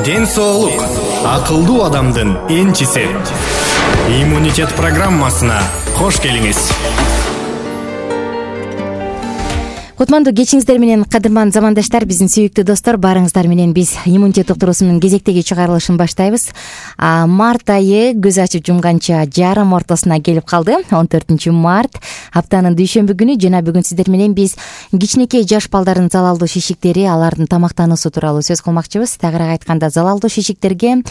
Ден соолук акылдуу адамдын энчиси. Иммунитет программасына кош келиңиз. Кутмандуу кечиңиздер менен, кадырман замандаштар, биздин сүйүктүү достор, баарыңыздар менен биз иммунитет уктуруусунун кезектеги чыгарылышын баштайбыз. Март айы көз ачып жумганча жарым ортосуна келип калды. 14 март аптанын дүйшөмбү күнү жана бүгүн сиздер менен биз кичинекей жаш балдардын залалдуу шишиктери, алардын тамактануусу тууралуу сөз кылмакчыбыз. Тагыраак айтканда, залалдуу шишиктердин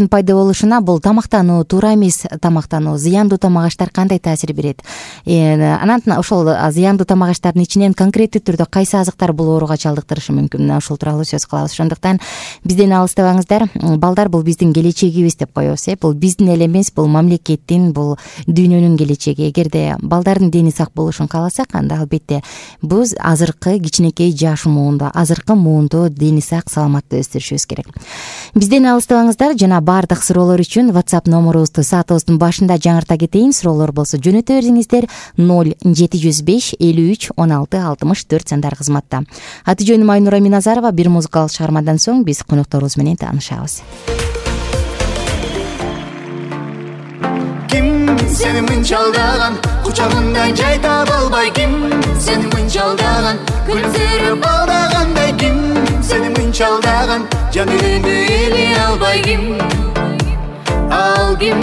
пайда болушуна бул тамактануу, туура эмес тамактануу, зыяндуу тамак аштар кандай таасир берет? Анан ошол зыяндуу тамак аштардын ичинен конкреттүү түрдө кайсы азыктар бул ооруга чалдыктырышы мүмкүн? Мына ушул тууралуу сөз кылабыз. Ошондуктан бизден алыстабаңыздар. Балдар бул биздин келечегибиз деп коебуз. Бул биздин эле эмес, бул мамлекеттин, бул дүйнөнүн келечеги. Эгерде балдардын дени сак болушун кааласак, анда албетте биз азыркы кичинекей жаш муунда, азыркы муунду дени сак, саламаттуу өстүрүшүбүз керек. Бизден алыстабаңыздар. Жана баардык суроолор үчүн WhatsApp номерубузду саатыбыздын башында жаңырта кетейин. Суроолор болсо жөнөтө бериңиздер. 0705 53 16 64 сандар кызматта. Аты жөнүм Айнура Миназарова. Бир музыкалык чыгармадан соң биз конокторубуз менен таанышабыз. Ким сени мынча алдаган, кучагында жай таба албай? Ким сени мынча алдаган, күлсөрүп алдагандай? Ким сени мынча алдаган, жан үйүндү эле албай? Ким ал ким?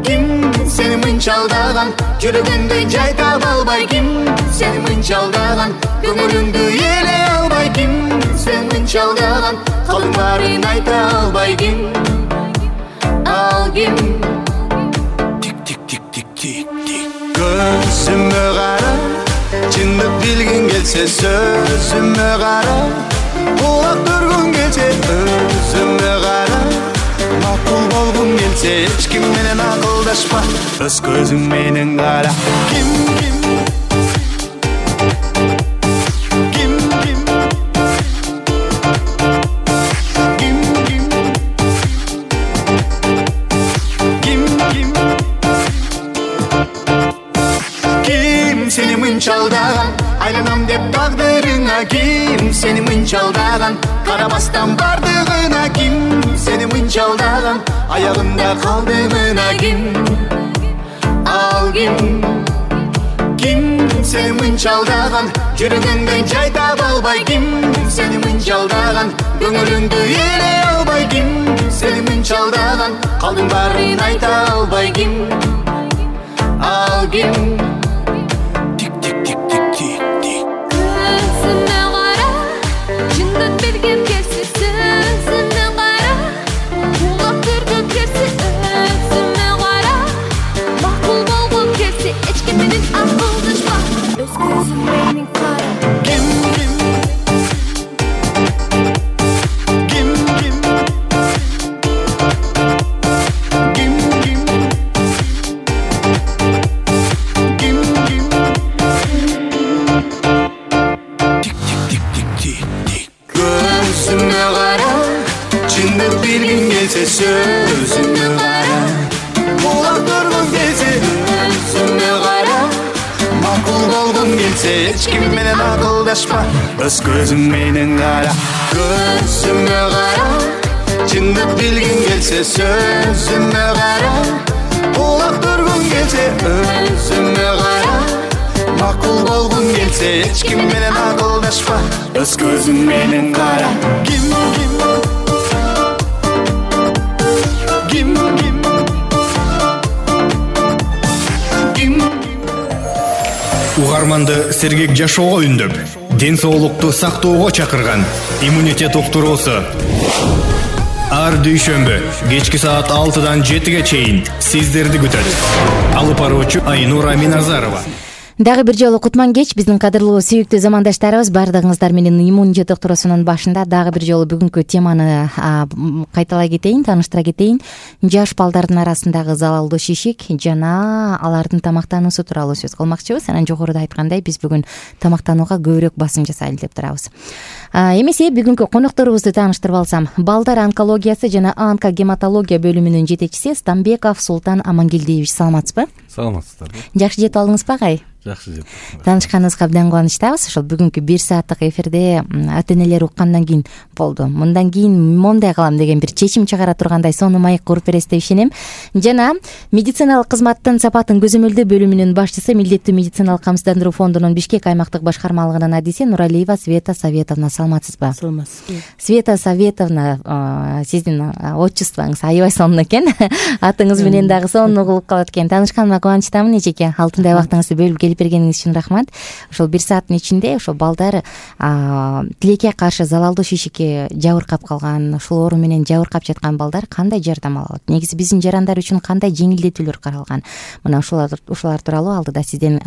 Ким сени мынча алдаган, жүрөгүндө жай таба албай? Ким сени мынча алдаган, көңүлүңдү эле албай? Ким сени мынча алдаган, калдың баарын айта албай? Ким ал ким? Көзүмө кара, чындык билгиң келсе сөзүмө кара, кулак түргүң келсе өзүмө кара, макул болгуң келсе эч ким менен акылдашпа, өз көзүң менен кара. Ким сени мынча алдаган, айланам деп тагдырыңа? Ким сени мынча алдаган, карабастан бардыгына? Ким сени мынча алдаган, аягында калдыгына? Ким ал ким? Ким сени мынча алдаган, жүрөгүңдө жай таба албай? Ким сени мынча алдаган, көңүлүңдү эле албай? Ким сени мынча алдаган, калдың баарын айта албай? Ким ал ким? Сөзүмө кара, кулак түргүң келсе өзүмө кара, макул болгуң келсе эч ким менен акылдашпа, өз көзүң менен кара. Көзүмө кара, чындык билгиң келсе сөзүмө кара, кулак түргүң келсе өзүмө кара, макул болгуң келсе эч ким менен акылдашпа, өз көзүң менен кара. Ким Угарманды сергек жашоого үндөп, ден соолукту сактоого чакырган иммунитет уктуруусу. Ар дүйшөмбү кечки саат 6-дан 7-ге чейин сиздерди күтөт. Алып баруучу Айнура Миназарова. Дагы бир жолу кутман кеч, биздин кадырлуу сүйүктүү замандаштарыбыз. Бардыгыңыздар менен иммунитет уктуруусунун башында дагы бир жолу бүгүнкү теманы кайталай кетейин, тааныштыра кетейин. Жаш балдардын арасындагы залалдуу шишик жана алардын тамактануусу тууралуу сөз кылмакчыбыз. Анан жогоруда айткандай, биз бүгүн тамактанууга көбүрөөк басым жасайлы деп турабыз. Эмесе бүгүнкү конокторубузду тааныштырып алсам, балдар онкологиясы жана онкогематология бөлүмүнүн жетекчиси Стамбеков Султан Амангелдиевич. Саламатсызбы? Саламатсыздар. Жакшы жетип алдыңызбы, агай? жакшы жетти. Таанышканыбызга абдан кубанычтабыз. Ошол бүгүнкү 1 сааттык эфирде ата энелер уккандан кийин болду. Мындан кийин мондай кылам деген бир чечим чыгара тургандай сонун маек куруп бересиз деп ишенем. Жана медициналык кызматтын сапатын көзөмөлдөө бөлүмүнүн башчысы, Милдеттүү медициналык камсыздандыруу фондунун Бишкек аймактык башкармалыгынын адиси Нуралиева Света Советовна, саламатсызбы? Саламатсызбы. Света Советовна, сиздин отчествоңуз аябай сонун экен. Атыңыз менен дагы сонун угулуп калат экен. Таанышканыма кубанычтамын эжеке. Алтындай убактыңызды бөлүп келип бергениңиз үчүн рахмат. Ошол 1 сааттын ичинде ошол балдар тилекке каршы залалдуу шишикке жабыркап калган, ушул оору менен жабыркап жаткан балдар кандай жардам ала алат? Негизи биздин жарандар үчүн кандай жеңилдетүүлөр каралган? Мына ушулар тууралуу алдыда сизден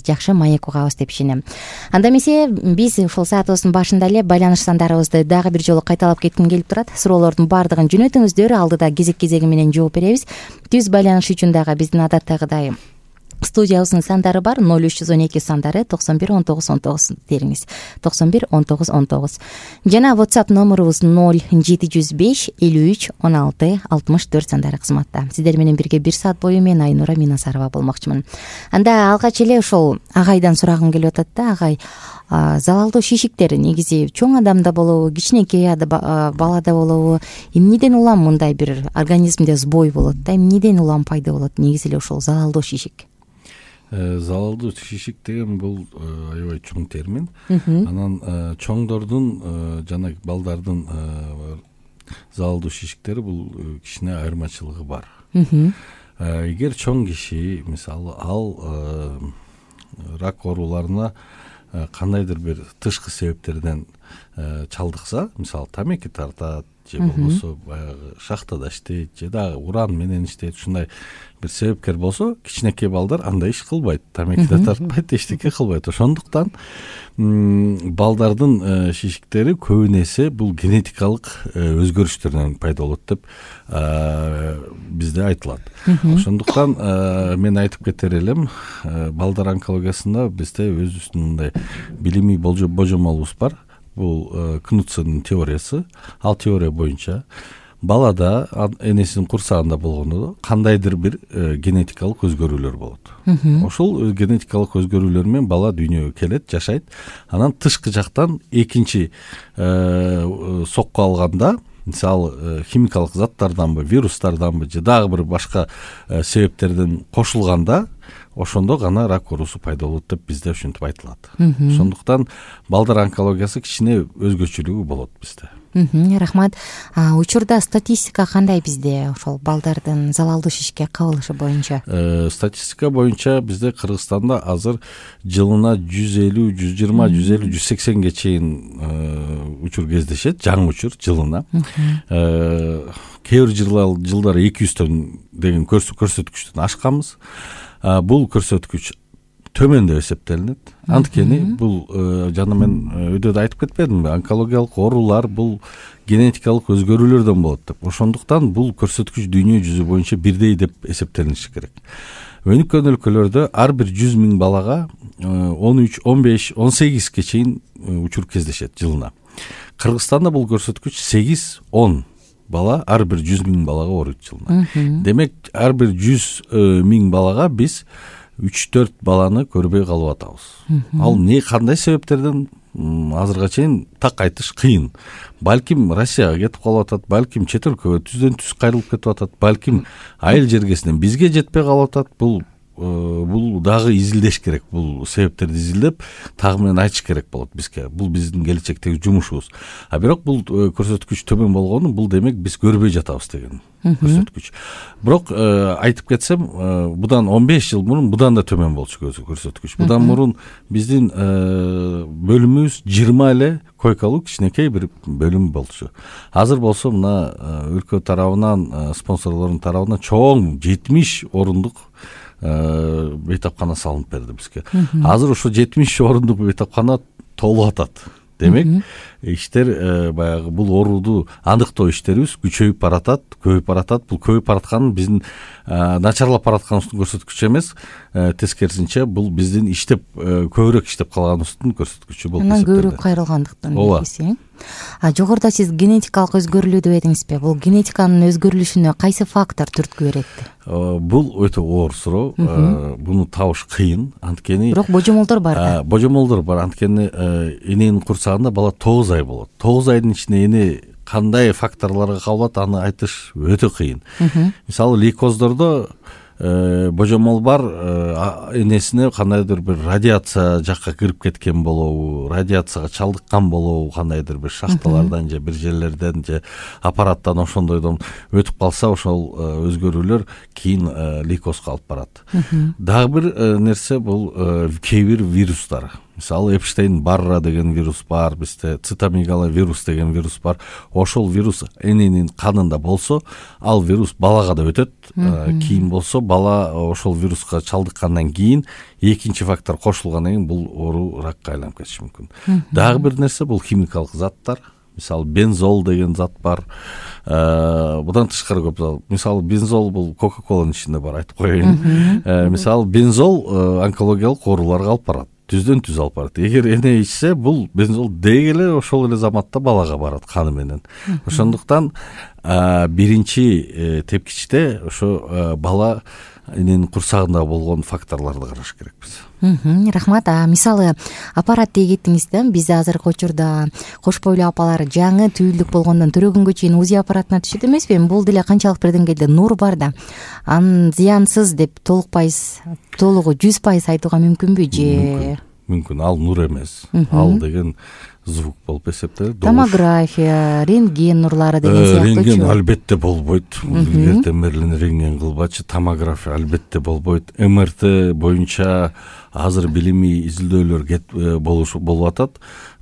жакшы маек угабыз деп ишенем. Анда эмесе биз ушул саатыбыздын башында эле байланыш сандарыбызды дагы бир жолу кайталап кетким келип турат. Суроолордун баардыгын жөнөтүңүздөр, алдыда кезек-кезеги менен жооп беребиз. Түз байланыш үчүн дагы биздин адаттагыдай студиябыздын сандары бар. 0312 сандары 91 19 19 териңиз. 91 19 19. Жана WhatsApp номурубуз 0705 53 16 64 сандары кызматта. Сиздер менен бирге 1 саат бою мен Айнура Минасарова болмокчумун. Анда алгач эле ошол агайдан сурагым келип атат да. Агай, залалдуу шишиктер негизи чоң адамда болобу, кичинекей балада болобу? Эмнеден улам мындай бир организмде сбой болот да? Эмнеден улам пайда болот негизи эле ошол залалдуу шишик? Залалдуу шишик деген бул аябай чоң термин. Анан чоңдордун жана балдардын залалдуу шишиктери бул кичине айырмачылыгы бар. Эгер чоң киши, мисалы, ал рак ооруларына кандайдыр бир тышкы себептерден чалдыкса, мисалы, тамеки тартат же болбосо баягы шахтада иштейт же дагы уран менен иштейт, ушундай бир себепкер болсо, кичинекей балдар андай иш кылбайт, тамеки да тартпайт, эчтеке кылбайт. Ошондуктан балдардын шишиктери көбүн эсе бул генетикалык өзгөрүштөрдөн пайда болот деп бизде айтылат. Ошондуктан мен айтып кетер элем, балдар онкологиясында бизде өзүбүздүн мындай билимий божомолубуз бар. Бул Кнутсенин теориясы. Ал теория боюнча балада энесинин курсагында болгондо кандайдыр бир генетикалык өзгөрүүлөр болот. Ошол генетикалык өзгөрүүлөр менен бала дүйнөгө келет, жашайт. Анан тышкы жактан экинчи сокку алганда, мисалы, химикалык заттарданбы, вирустарданбы же дагы бир башка себептерден кошулганда, ошондо гана рак оорусу пайда болот деп бизде ушинтип айтылат. Ошондуктан балдар онкологиясы кичине өзгөчөлүгү болот бизде. Рахмат. Учурда статистика кандай бизде ошол балдардын залалдуу шишикке кабылышы боюнча? Статистика боюнча бизде Кыргызстанда азыр жылына 150, 120, 150, 180ге чейин учур кездешет, жаңы учур жылына. Кээ бир жылдары 200төн деген көрсөткүчтөн ашканбыз. Бул көрсөткүч төмөн деп эсептелинет. Анткени бул жана мен өйдө айтып кетпедимби, онкологиялык оорулар бул генетикалык өзгөрүүлөрдөн болот деп. Ошондуктан бул көрсөткүч дүйнө жүзү боюнча бирдей деп эсептелиниши керек. Өнүккөн өлкөлөрдө ар бир 100 миң балага 13, 15, 18ге чейин учур кездешет жылына. Кыргызстанда бул көрсөткүч 8-10 бала ар бир 100 миң балага ооруйт жылына. Демек, ар бир 100 миң балага биз 3-4 баланы көрбөй калып атабыз. Ал не кандай себептерден азырга чейин так айтыш кыйын. Балким Россияга кетип калып атат, балким чет өлкөгө түздөн түз кайрылып кетип атат, балким айыл жергесинен бизге жетпей калып атат. Бул дагы изилдеш керек. Бул себептерди изилдеп, тагы менен айтыш керек болот бизге. Бул биздин келечектеги жумушубуз. Бирок бул көрсөткүч төмөн болгону, бул демек биз көрбөй жатабыз деген көрсөткүч. Бирок айтып кетсем, будан 15 жыл мурун будан да төмөн болчу көрсөткүч. Будан мурун биздин бөлүмүбүз 20 эле койкалуу кичинекей бир бөлүм болчу. Азыр болсо мына өлкө тарабынан, спонсорлордун тарабынан чоң 70 орундук бейтапкана салынып берди бизге. Азыр ошо 70 орундук бейтапкана толуп атат. Демек, иштер баягы бул ооруду аныктоо иштерибиз күчөйүп баратат, көбөйүп баратат. Бул көбөйүп бараткан биздин начарлап баратканыбыздын көрсөткүчү эмес, тескерисинче бул биздин иштеп көбүрөөк иштеп калганыбыздын көрсөткүчү болуп эсептелет. Анан көбүрөөк кайрылгандыктан негизи. Жогоруда сиз генетикалык өзгөрүлүү деп эдиңизби? Бул генетиканын өзгөрүлүшүнө кайсы фактор түрткү берет? Бул өтө оор суроо. Буну табыш кыйын, анткени бирок божомолдор бар да. Божомолдор бар, анткени эненин курсагында бала 9 ай болот. 9 айдын ичинде эне кандай факторлорго кабылат, аны айтыш өтө кыйын. Мисалы лейкоздордо божомол бар, энесине кандайдыр бир радиация жакка кирип кеткен болобу, радиацияга чалдыккан болобу, кандайдыр бир шахталардан же бир жерлерден же аппараттан ошондойдон өтүп калса, ошол өзгөрүүлөр кийин лейкозго алып барат. Дагы бир нерсе бул кээ бир вирустар. Мисалы Эпштейн Барра деген вирус бар, бизде цитомегало вирус деген вирус бар. Ошол вирус эненин канында болсо, ал вирус балага да өтөт. Кийин болсо, бала ошол вируска чалдыккандан кийин экинчи фактор кошулгандан кийин бул оору ракка айланып кетиши мүмкүн. Дагы бир нерсе бул химикалык заттар. Мисалы бензол деген зат бар. Будан тышкары көп. Мисалы бензол бул Кока-Коланын ичинде бар, айтып коеюн. Мисалы бензол онкологиялык ооруларга алып барат. Түздөн түз алып барат. Эгер эне ичсе, бул бензол деги эле ошол эле заматта балага барат каны менен. Ошондуктан биринчи тепкичте ошо бала эненин курсагында болгон факторлорду караш керекпиз. Рахмат. Мисалы аппарат деп кеттиңиз да, биз азыркы учурда кош бойлуу апалар жаңы түйүлдүк болгондон төрөгөнгө чейин УЗИ аппаратына түшөт эмеспи? Бул деле канчалык бир деңгээлде нур бар да. Анын зыянсыз деп толугу 100% айтууга мүмкүнбү же? Мүмкүн. Ал нур эмес. Ал деген звук болуп эсептелет. Томография, рентген нурлары деген сыяктуучу. Рентген албетте болбойт. Эртең менен рентген кылбачы. Томография албетте болбойт. МРТ боюнча азыр билимий изилдөөлөр болуп атат.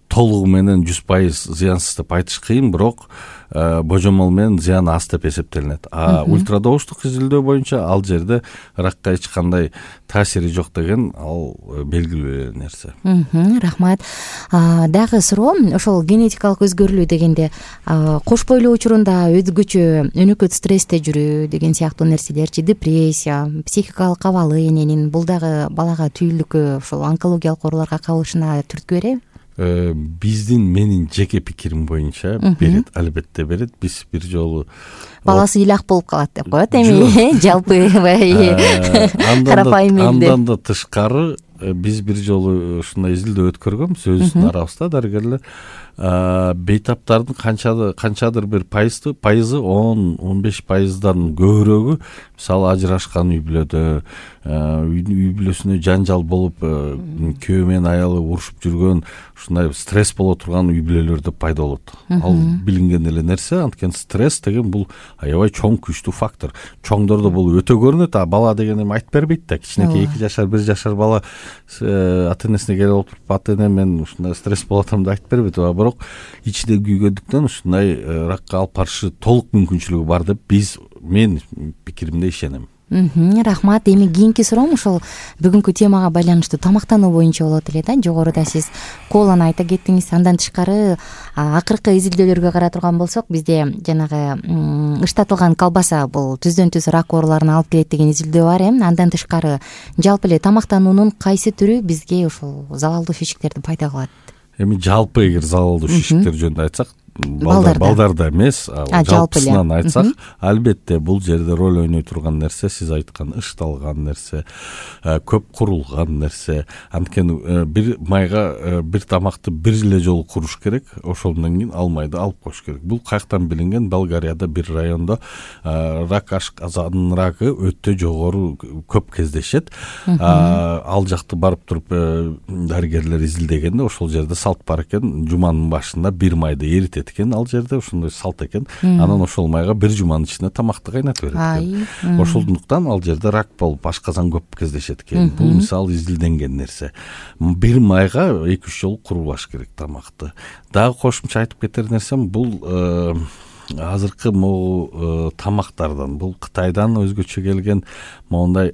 Толугу менен 100% зыянсыз деп айтыш кыйын, бирок божомол менен зыяны аз деп эсептелинет. Ультрадобуштук изилдөө боюнча ал жерде ракка эч кандай таасири жок деген ал белгилүү нерсе. Рахмат. Дагы суроо, ошол генетикалык өзгөрүлүү дегенде кош бойлуу учурунда өзгөчө өнөкөт стрессте жүрүү деген сыяктуу нерселерчи, депрессия, психикалык абалы эненин бул дагы балага түйүлдүккө ошол онкологиялык ооруларга кабылышына түрткү береби? Менин жеке пикирим боюнча берет, албетте берет. Биз бир жолу баласы илак болуп калат деп коет эми, жалпы карапайым элде. Андан да тышкары биз бир жолу ушундай изилдөө өткөргөнбүз өзүбүздүн арабызда. Дарыгерлер бейтаптардын канчадыр бир пайызы 10-15%дан көбүрөгү мисалы ажырашкан үй бүлөдө, үй бүлөсүнө жанжал болуп, күйөө менен аялы урушуп жүргөн, ушундай стресс боло турган үй бүлөлөрдө пайда болот. Ал билинген эле нерсе, анткени стресс деген бул аябай чоң күчтүү фактор. Чоңдордо бул өтө көрүнөт, бала деген эми айтып бербейт да. Кичинекей 2 жашар, 1 жашар бала ата-энесине келип отуруп, ата-эне мен ушундай стресс болуп атам деп айтып бербейт. Бирок ичиде күйгөндүктөн ушундай ракка алып барышы толук мүмкүнчүлүгү бар деп мен пикиримде ишенем. Рахмат. Эми кийинки суроом ошол бүгүнкү темага байланыштуу тамактануу боюнча болот эле да. Жогоруда сиз коланы айта кеттиңиз. Андан тышкары акыркы изилдөөлөргө карап турган болсок, бизде жанагы ыштатылган колбаса бул түздөн түз рак ооруларына алып келет деген изилдөө бар. Андан тышкары жалпы эле тамактануунун кайсы түрү бизге ошол залалдуу шишиктерди пайда кылат? Эми жалпы эгер залалдуу шишиктер жөнүндө айтсак, балдарда эмес, жалпысынан айтсак, албетте бул жерде роль ойной турган нерсе сиз айткан ышталган нерсе, көп курулган нерсе. Анткени бир майга бир тамакты бир эле жолу куруш керек, ошондон кийин ал майды алып коюш керек. Бул каяктан билинген? Болгарияда бир райондо рак ашказанын рагы өтө жогору көп кездешет. Ал жакты барып туруп дарыгерлер изилдегенде ошол жерде салт бар экен, жуманын башында бир майды эритет экен, ал жерде ошондой салт экен. Анан ошол майга бир жуманын ичинде тамакты кайнатып берет экен. Ошондуктан ал жерде рак болуп ашказан көп кездешет экен. Бул мисалы изилденген нерсе. Бир майга 2-3 жолу курулаш керек тамакты. Дагы кошумча айтып кетер нерсем, бул азыркы могу тамактардан, бул Кытайдан өзгөчө келген моундай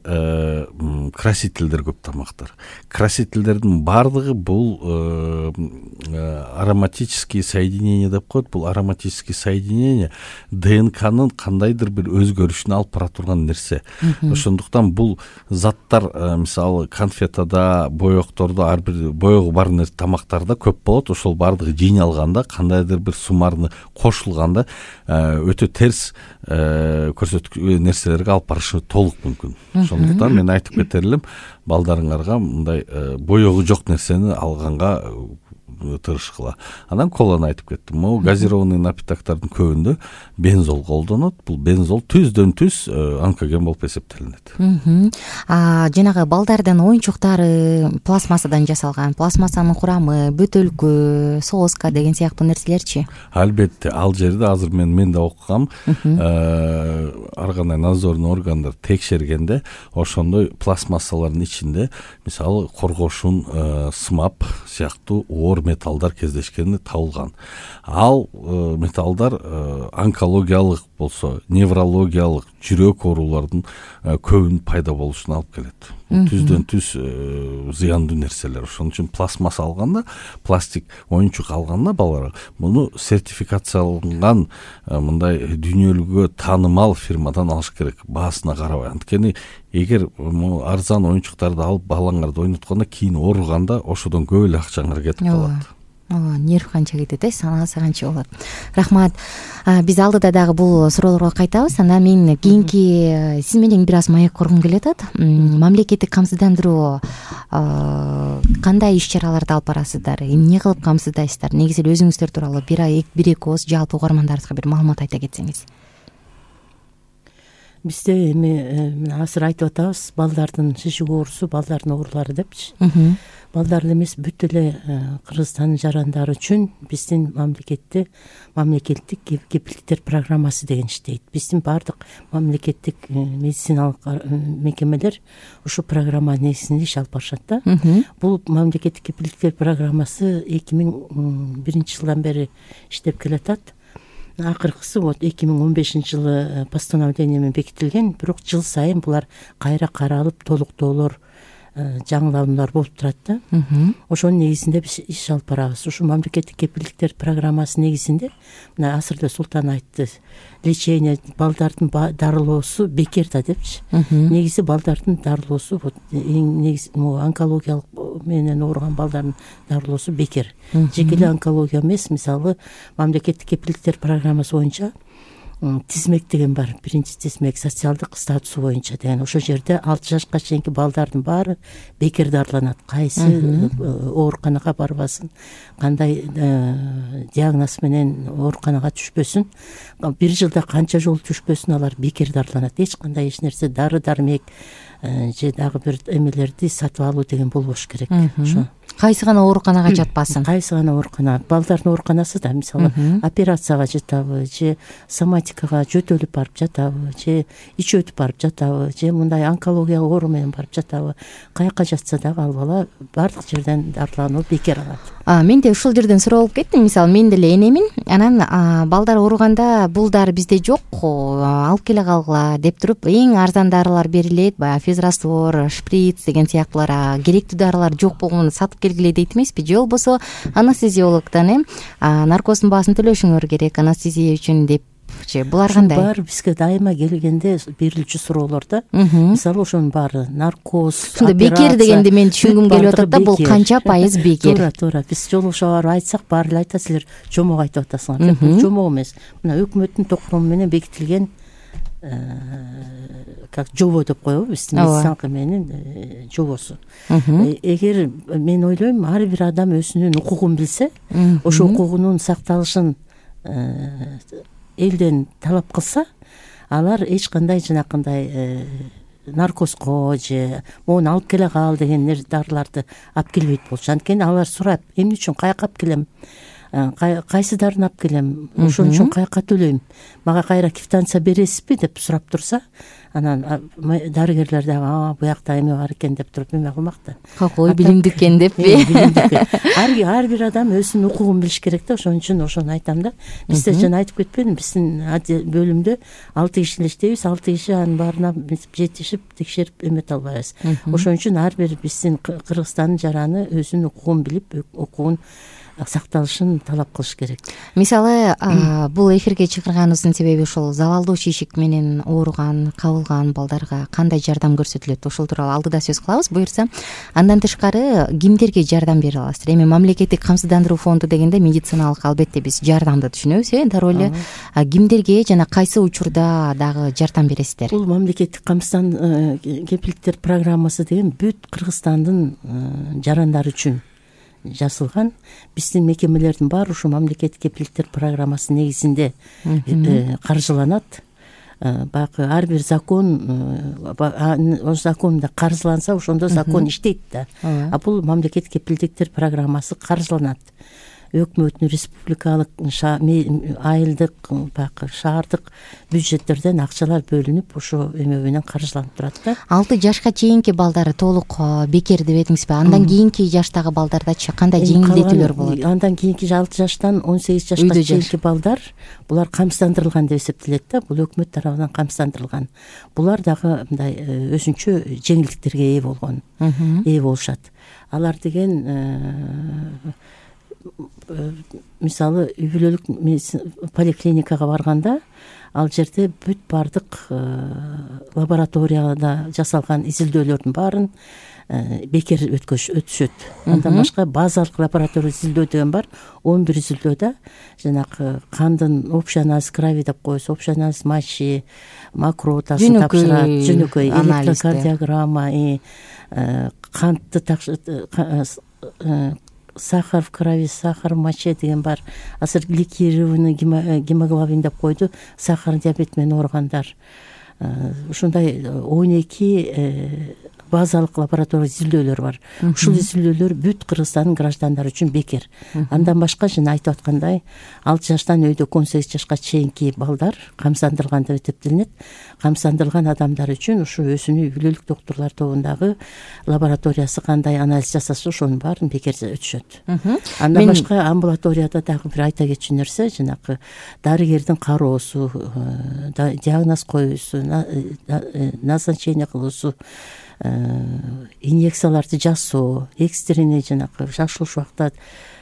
красительдер көп тамактар. Красительдердин баардыгы бул ароматические соединения деп коет. Бул ароматические соединения ДНКнын кандайдыр бир өзгөрүшүнө алып бара турган нерсе. Ошондуктан бул заттар мисалы конфетада, боектордо, ар бир боегу бар тамактарда көп болот. Ошол баардыгы жыйналганда, кандайдыр бир суммарны кошулганда өтө терс нерселерге алып барышы толук мүмкүн. Ошондуктан мен айтып кетер элем, балдарыңарга мындай боегу жок нерсени алганга тырышкыла. Анан коланы айтып кеттим. Могу газированный напитоктордун көбүндө бензол колдонот. Бул бензол түздөн-түз онкоген болуп эсептелинет. Жанагы балдардын оюнчуктары пластмассадан жасалган, пластмассанын курамы, бөтөлкө, соска деген сыяктуу нерселерчи? Албетте, ал жерде азыр мен да окугам. Ар кандай надзорный органдар текшергенде ошондой пластмассалардын ичинде мисалы коргошун, смап сыяктуу оор металлдар кездешкени табылган. Ал металлдар онкологиялык болсо, неврологиялык, жүрөк оорулардын көбүн пайда болушуна алып келет. Түздөн-түз зыяндуу нерселер. Ошон үчүн пластмасса алганда, пластик оюнчук алганда балдарга муну сертификацияланган мындай дүйнөлүккө таанымал фирмадан алыш керек, баасына карабай. Анткени эгер арзан оюнчуктарды алып балаңарды ойноткондо кийин ооруганда ошодон көп эле акчаңар кетип калат. Нерв канча кетет, санаасы канча болот. Рахмат. Биз алдыда дагы бул суроолорго кайтабыз. Анан мен кийинки сиз менен бир аз маек кургум келип атат. Мамлекеттик камсыздандыруу кандай иш-чараларды алып барасыздар? Эмне кылып камсыздайсыздар? Негизи эле өзүңүздөр тууралуу бир-эки ооз жалпы угармандарыбызга бир маалымат айта кетсеңиз. Бизде эми азыр айтып атабыз, балдардын шишик оорусу, балдардын оорулары депчи. Балдарды эмес, бүт эле Кыргызстандын жарандары үчүн биздин мамлекеттик кепилдиктер программасы деген иштейт. Биздин баардык мамлекеттик медициналык мекемелер ушу программа негизинде иш алып барышат да. Бул мамлекеттик кепилдиктер программасы 2001 жылдан бери иштеп келатат. Акыркысы 2015 жылы постановление менен бекитилген, бирок жыл сайын булар кайра каралып, толуктоолор, жаңылануулар болуп турат да. Ошонун негизинде биз иш алып барабыз. Ушу мамлекеттик кепилдиктер программасы негизинде мына азыр Султан айтты, лечение, балдардын дарылоосу бекер да депчи. Негизи балдардын дарылоосу эң негизи онкологиялык менен ооруган балдардын дарылоосу бекер. Жеке эле онкология эмес, мисалы мамлекеттик кепилдиктер программасы боюнча тизмек деген бар. Биринчи тизмек социалдык статусу боюнча деген. Ошол жерде 6 жашка чейинки балдардын баары бекер дарыланат. Кайсы ооруканага барбасын, кандай диагноз менен ооруканага түшпөсүн, бир жылда канча жолу түшпөсүн, алар бекер дарыланат. Эч кандай нерсе дары-дармек же дагы бир эмелерди сатып алуу деген болбош керек. Ошо кайсы гана ооруканага жатпасын. Кайсы гана оорукана. Балдардын ооруканасы да мисалы операцияга жатабы, же соматикага жөтөлүп барып жатабы, же ич өтүп барып жатабы, же мындай онкологиялык оору менен барып жатабы, каяка жатса дагы ал бала баардык жерден дарылануу бекер алат. Мен де ушул жерден суроо болуп кеттим. Мисалы, мен деле энемин. Анан балдар ооруганда бул дары бизде жок, алып келе калгыла деп туруп, эң арзан дарылар берилет, баягы физраствор, шприц деген сыяктуулар, керектүү дарылар жок болгондо сатып келгиле дейт эмеспи? Же болбосо анестезиологдон наркоздун баасын төлөшүңөр керек анестезия үчүн деп. Булар кандай? Бар бизге дайыма келгенде берилчү суроолор да. Мисалы ошонун баары наркоз, операция. Бекер дегенди мен түшүнгүм келип атат да, бул канча пайыз бекер? Туура. Биз жолугуша барып айтсак, баары эле айтат, силер жомок айтып атасыңар. Бул жомок эмес. Мына өкмөттүн токтому менен бекитилген как жобо деп коебу, биздин медициналык эменин жобосу. Эгер мен ойлойм, ар бир адам өзүнүн укугун билсе, ошо укугунун сакталышын элден талап кылса, алар эч кандай жанакындай наркозго же моуну алып келе кал деген дарыларды алып келбейт болчу. Анткени алар сурап, эмне үчүн, каяка алып келем? кайсыдарын алып келем, ошон үчүн каяка төлөйм, мага кайра квитанция бересизби деп сурап турса, анан дарыгерлер дагы буякта эме бар экен деп туруп эме кылмак да. Ой, билимдүү экен деппи? Ар бир адам өзүнүн укугун билиш керек да. Ошон үчүн ошону айтам да. Бизде жана айтып кетпедимби, биздин бөлүмдө 6 киши эле иштейбиз, 6 киши анын баарына жетишип текшерип эмете албайбыз. Ошон үчүн ар бир биздин Кыргызстандын жараны өзүнүн укугун билип, укугун сакталышын талап кылыш керек. Мисалы, бул эфирге чакырганыбыздын себеби ушул залалдуу чийишик менен ооруган, кабылган балдарга кандай жардам көрсөтүлөт, ошол тууралуу алдыда сөз кылабыз буюрса. Андан тышкары кимдерге жардам бере аласыздар? Эми мамлекеттик камсыздандыруу фонду дегенде медициналык, албетте биз жардамды түшүнөбүз, дароо эле кимдерге жана кайсы учурда дагы жардам бересиздер? Бул мамлекеттик кепилдиктер программасы деген бүт Кыргызстандын жарандары үчүн жасалган. Биздин мекемелердин баары ушу мамлекеттик кепилдиктер программасы негизинде каржыланат. Баягы ар бир законда каржыланса, ошондо закон иштейт да. А бул мамлекеттик кепилдиктер программасы каржыланат. Өкмөттүн республикалык, айылдык, баягы шаардык бюджеттерден акчалар бөлүнүп, ошо эме менен каржыланып турат да. 6 жашка чейинки балдар толук бекер деп этиңизби? Андан кийинки жаштагы балдардачы кандай жеңилдетүүлөр болот? Андан кийинки 6 жаштан 18 жашка чейинки балдар, булар камсыздандырылган деп эсептелет да. Бул өкмөт тарабынан камсыздандырылган. Булар дагы мындай өзүнчө жеңилдиктерге ээ болушат. Алар деген мисалы үй бүлөлүк поликлиникага барганда, ал жерде бүт бардык лабораторияда жасалган изилдөөлөрдүн баарын бекер өтүшөт. Андан башка базалык лаборатория изилдөө деген бар. 11 изилдөөдө жанагы кандын общий анализ крови деп коебуз, общий анализ мочи, макротасын тапшырат, жөнөкөй электрокардиограмма, кантты сахар в крови, сахар в моче деген бар. Азыр гликированный гемоглобин деп койду, сахар диабет менен ооругандар. Ушундай 12 базалык лаборатория изилдөөлөр бар. Ушул изилдөөлөр бүт Кыргызстандын граждандары үчүн бекер. Андан башка жана айтып аткандай 6 жаштан өйдө 18 жашка чейинки балдар камсыздандырылган деп эсептелинет. Камсыздандырылган адамдар үчүн ушу өзүнүн үй бүлөлүк доктурлар тобундагы лабораториясы кандай анализ жасаса, ошонун баарын бекер өтүшөт. Андан башка амбулаторияда дагы бир айта кетчү нерсе, жанагы дарыгердин кароосу, диагноз коюусу, назначение кылуусу, инъекцияларды жасоо, экстренный жанагы шашылыш убакта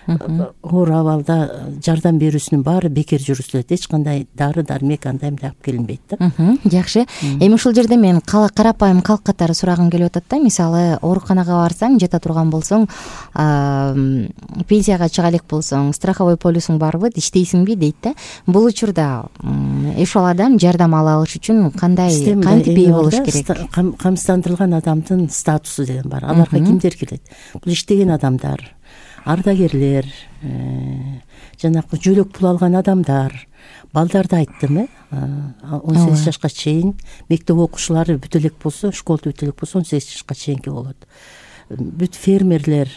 оор абалда жардам берүүсүнүн баары бекер жүргүзүлөт. Эч кандай дары дармек андай алып келинбейт да. Жакшы. Эми ушул жерде мен карапайым калк катары сурагым келип атат да. Мисалы, ооруканага барсаң, жата турган болсоң, пенсияга чыга элек болсоң, страховой полисуң барбы, иштейсиңби дейт да. Бул учурда ошол адам жардам ала алыш үчүн кантип ээ болуш керек? Камсыздандырылган адамдын статусу деген бар. Аларга кимдер кирет? Бул иштеген адамдар, ардагерлер, жанагы жөлөк пул алган адамдар, балдарды айттым, 18 жашка чейин мектеп окуучулары бүт элек болсо, школду бүт элек болсо 18 жашка чейинки болот. Бүт фермерлер,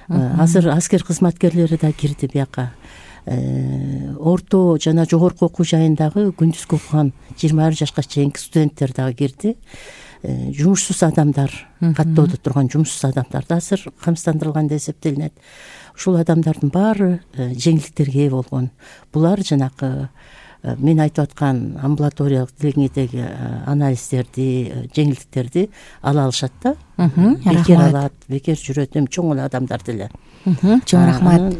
азыр аскер кызматкерлери да кирди бияка. Орто жана жогорку окуу жайындагы күндүзгү окуган 21 жашка чейинки студенттер дагы кирди. Жумушсуз адамдар, каттоодо турган жумушсуз адамдар да азыр камсыздандырылган деп эсептелинет. Ушул адамдардын баары жеңилдиктерге ээ болгон. Булар жанагы мен айтып аткан амбулаториялык деңгейдеги анализдерди, жеңилдиктерди ала алышат да. Бекер алат, бекер жүрөт, чоң эле адамдар деле. Чоң рахмат.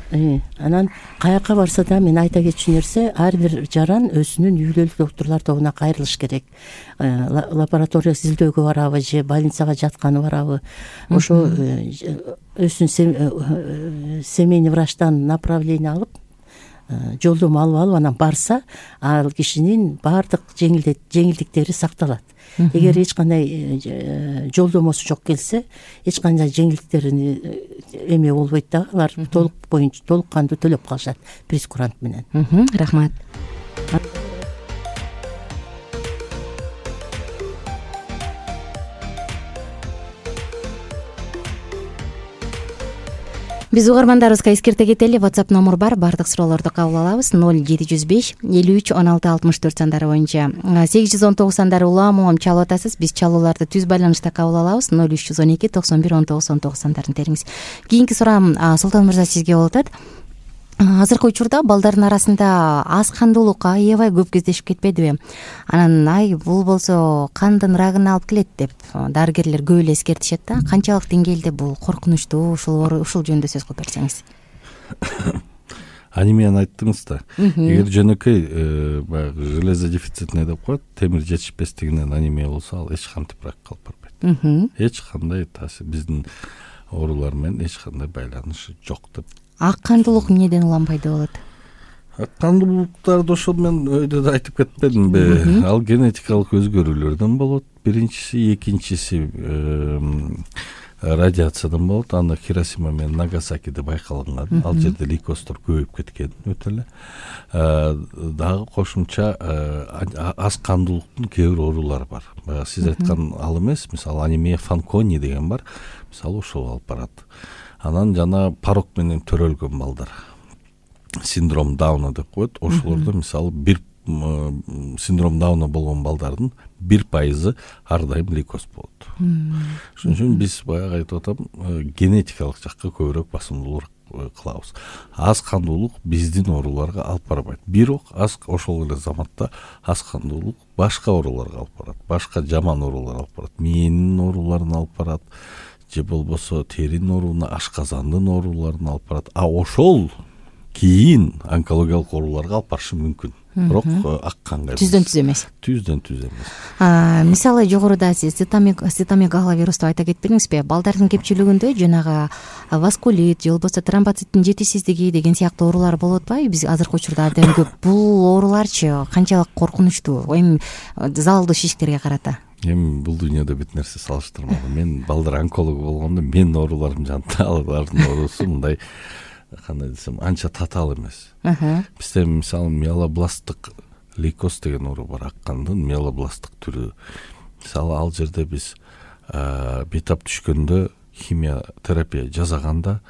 Анан каяка барса да мен айта кетчү нерсе, ар бир жаран өзүнүн үй бүлөлүк доктурлар тобуна кайрылыш керек. Лаборатория изилдөөгө барабы же больницага жатканы барабы, ошо өзүнүн семейный врачтан направление алып, жолдомо алып анан барса, ал кишинин баардык жеңилдиктери сакталат. Эгер эч кандай жолдомосу жок келсе, эч кандай жеңилдиктерин эме болбойт да, алар толук кандуу төлөп калышат прескурант менен. Рахмат. Биз угармандарыбызга эскерте кетели. WhatsApp номер бар, баардык суроолорду кабыл алабыз. 0705 53 16 64 сандары боюнча 819 сандары улам чалып атасыз. Биз чалууларды түз байланышта кабыл алабыз. 0312 91 19 19 сандарын териңиз. Кийинки суроом Султан мырза сизге болуп атат. Азыркы учурда балдардын арасында аз кандуулукка аябай көп кездешип кетпедиби? Анан бул болсо кандын рагын алып келет деп дарыгерлер көп эле эскертишет да. Канчалык деңгээлде бул коркунучтуу, ушул жөнүндө сөз кылып берсеңиз. Анемияны айттыңыз да. Эгер жөнөкөй баягы железо дефицитный деп коет, темир жетишпестигинен анемия болсо, ал эч кантип ракка алып барбайт. Эч кандай таасир биздин оорулар менен эч кандай байланышы жок деп. Ак кандуулук эмнеден улам пайда болот? Ак кандуулуктарды ошол мен өйдө да айтып кетпедимби? Ал генетикалык өзгөрүүлөрдөн болот. Биринчиси, экинчиси радиациядан болот. Аны Хиросима менен Нагасакиде байкалган. Ал жерде лейкоздор көбөйүп кеткен өтө эле. Дагы кошумча аз кандуулуктун кээ бир оорулары бар. Баягы сиз айткан ал эмес, мисалы анемия Фанкони деген бар. Мисалы ошол алып барат. Анан жана порок менен төрөлгөн балдар, синдром Дауна деп коет. Ошолордо мисалы бир синдром Дауна болгон балдардын 1% ар дайым лейкоз болот. Ошон үчүн биз баягы айтып атам, генетикалык жакка көбүрөөк басымдуулук кылабыз. Аз кандуулук биздин ооруларга алып барбайт. Бирок ошол эле заматта аз кандуулук башка ооруларга алып барат. Башка жаман ооруларга алып барат. Мээнин ооруларына алып барат. Же болбосо теринин ооруна, ашказандын ооруларына алып барат. Ошол кийин онкологиялык ооруларга алып барышы мүмкүн. Бирок ак канга түздөн түз эмес. Түздөн түз эмес. Мисалы жогоруда сиз цитомегаловирус деп айта кетпедиңизби? Балдардын көпчүлүгүндө жанагы васкулит же болбосо тромбоциттин жетишсиздиги деген сыяктуу оорулар болуп атпайбы? Биз азыркы учурда абдан көп. Бул ооруларчы канчалык коркунучтуу? Эми залалдуу шишиктерге карата. Эми бул дүйнөдө бүт нерсе салыштырмалуу. Мен балдар онкологу болгондо менин ооруларым жанында, алардын оорусу мындай кандай десем, анча татаал эмес. Бизде мисалы миелобласттык лейкоз деген оору бар, ак кандын миелобласттык түрү. Мисалы ал жерде биз бейтап түшкөндө химия терапия жасаганда,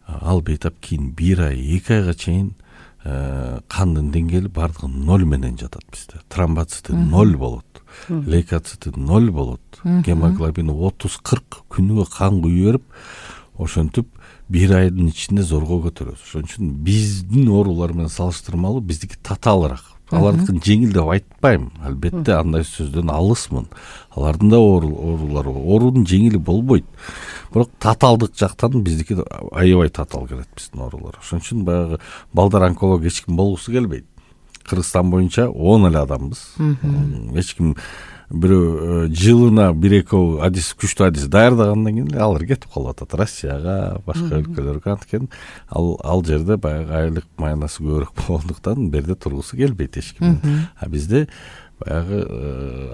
ал бейтап кийин 1 ай, 2 айга чейин кандын деңгээли бардыгы 0 менен жатат бизде. Тромбоциты 0 болот. Лейкоциты 0 болот. Гемоглобини 30-40 күнүгө кан куюп берип, ошентип 1 айдын ичинде зорго көтөрөбүз. Ошон үчүн биздин оорулар менен салыштырмалуу биздики татаалыраак. Алардыкын жеңил деп айтпайм. Албетте андай сөздөн алысмын. Алардын да оорулары бар. Оорунун жеңили болбойт. Бирок татаалдык жактан биздики аябай татаал келет биздин оорулар. Ошон үчүн баягы балдар онколог эч ким болгусу келбейт. Кыргызстан боюнча 10 эле адамбыз. Эч ким бирөө жылына 1-2 адис, күчтүү адис даярдагандан кийин алар кетип калып атат Россияга, башка өлкөлөргө. Анткени ал жерде баягы айлык майнасы көбүрөөк болгондуктан берде тургусу келбейт эч ким. Бизде баягы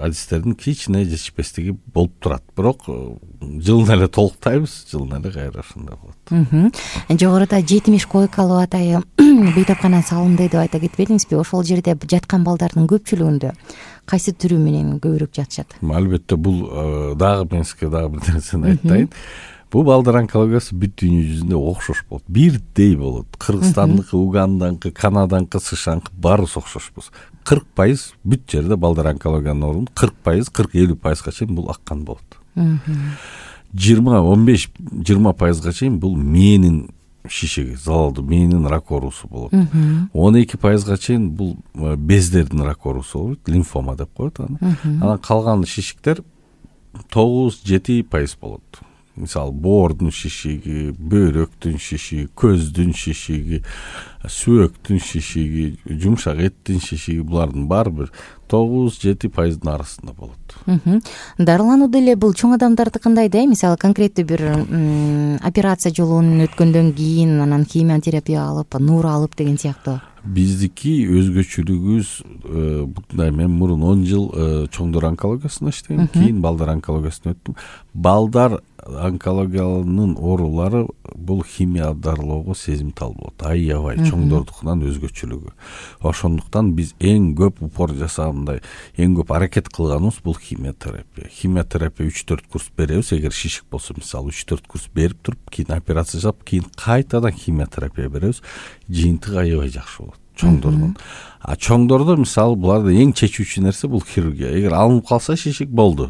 адистердин кичине жетишпестиги болуп турат. Бирок жылына эле толуктайбыз, жылына эле кайра ошондой болот. Жогоруда 70 койкалуу атайы бейтапкана салынды деп айта кетпедиңизби? Ошол жерде жаткан балдардын көпчүлүгүндө кайсы түрү менен көбүрөөк жатышат? Албетте бул дагы мен сизге дагы бир нерсени айтайын. Бул балдар онкологиясы бүт дүйнө жүзүндө окшош болот. Бирдей болот. Кыргызстандыкы, Уганданыкы, Канаданыкы, США-ныкы баарыбыз окшошпуз. 40% бүт жерде балдар онкологиянын оорун 40%, 40-50%га чейин бул ак кан болот. 15-20%га чейин бул мээнин шишиги, залалдуу мээнин рак оорусу болот. 12%га чейин бул бездердин рак оорусу болот, лимфома деп коет аны. Анан калган шишиктер 9-7% болот. Мисалы боордун шишиги, бөйрөктүн шишиги, көздүн шишиги, сүйөктүн шишиги, жумшак эттин шишиги, булардын баары бир 9-7% арасында болот. Дарылануу деле бул чоң адамдардыкындай да, мисалы конкреттүү бир операция жолун өткөндөн кийин анан химиотерапия алып, нур алып деген сыяктуу. Биздики өзгөчөлүгүбүз мындай, мен мурун 10 жыл чоңдор онкологиясында иштегем, кийин балдар онкологиясына өттүм. Балдар онкологиянын оорулары бул химия дарылоого сезимтал болот, аябай чоңдордукунан өзгөчөлүгү. Ошондуктан биз эң көп упор жасагандай, эң көп аракет кылганыбыз бул химиотерапия. Химиотерапия 3-4 курс беребиз, эгер шишик болсо, мисалы 3-4 курс берип туруп, кийин операция жасап, кийин кайтадан химиотерапия беребиз. Жыйынтыгы аябай жакшы болот чоңдордон. А чоңдордо мисалы буларда эң чечүүчү нерсе бул хирургия. Эгер алынып калса шишик болду,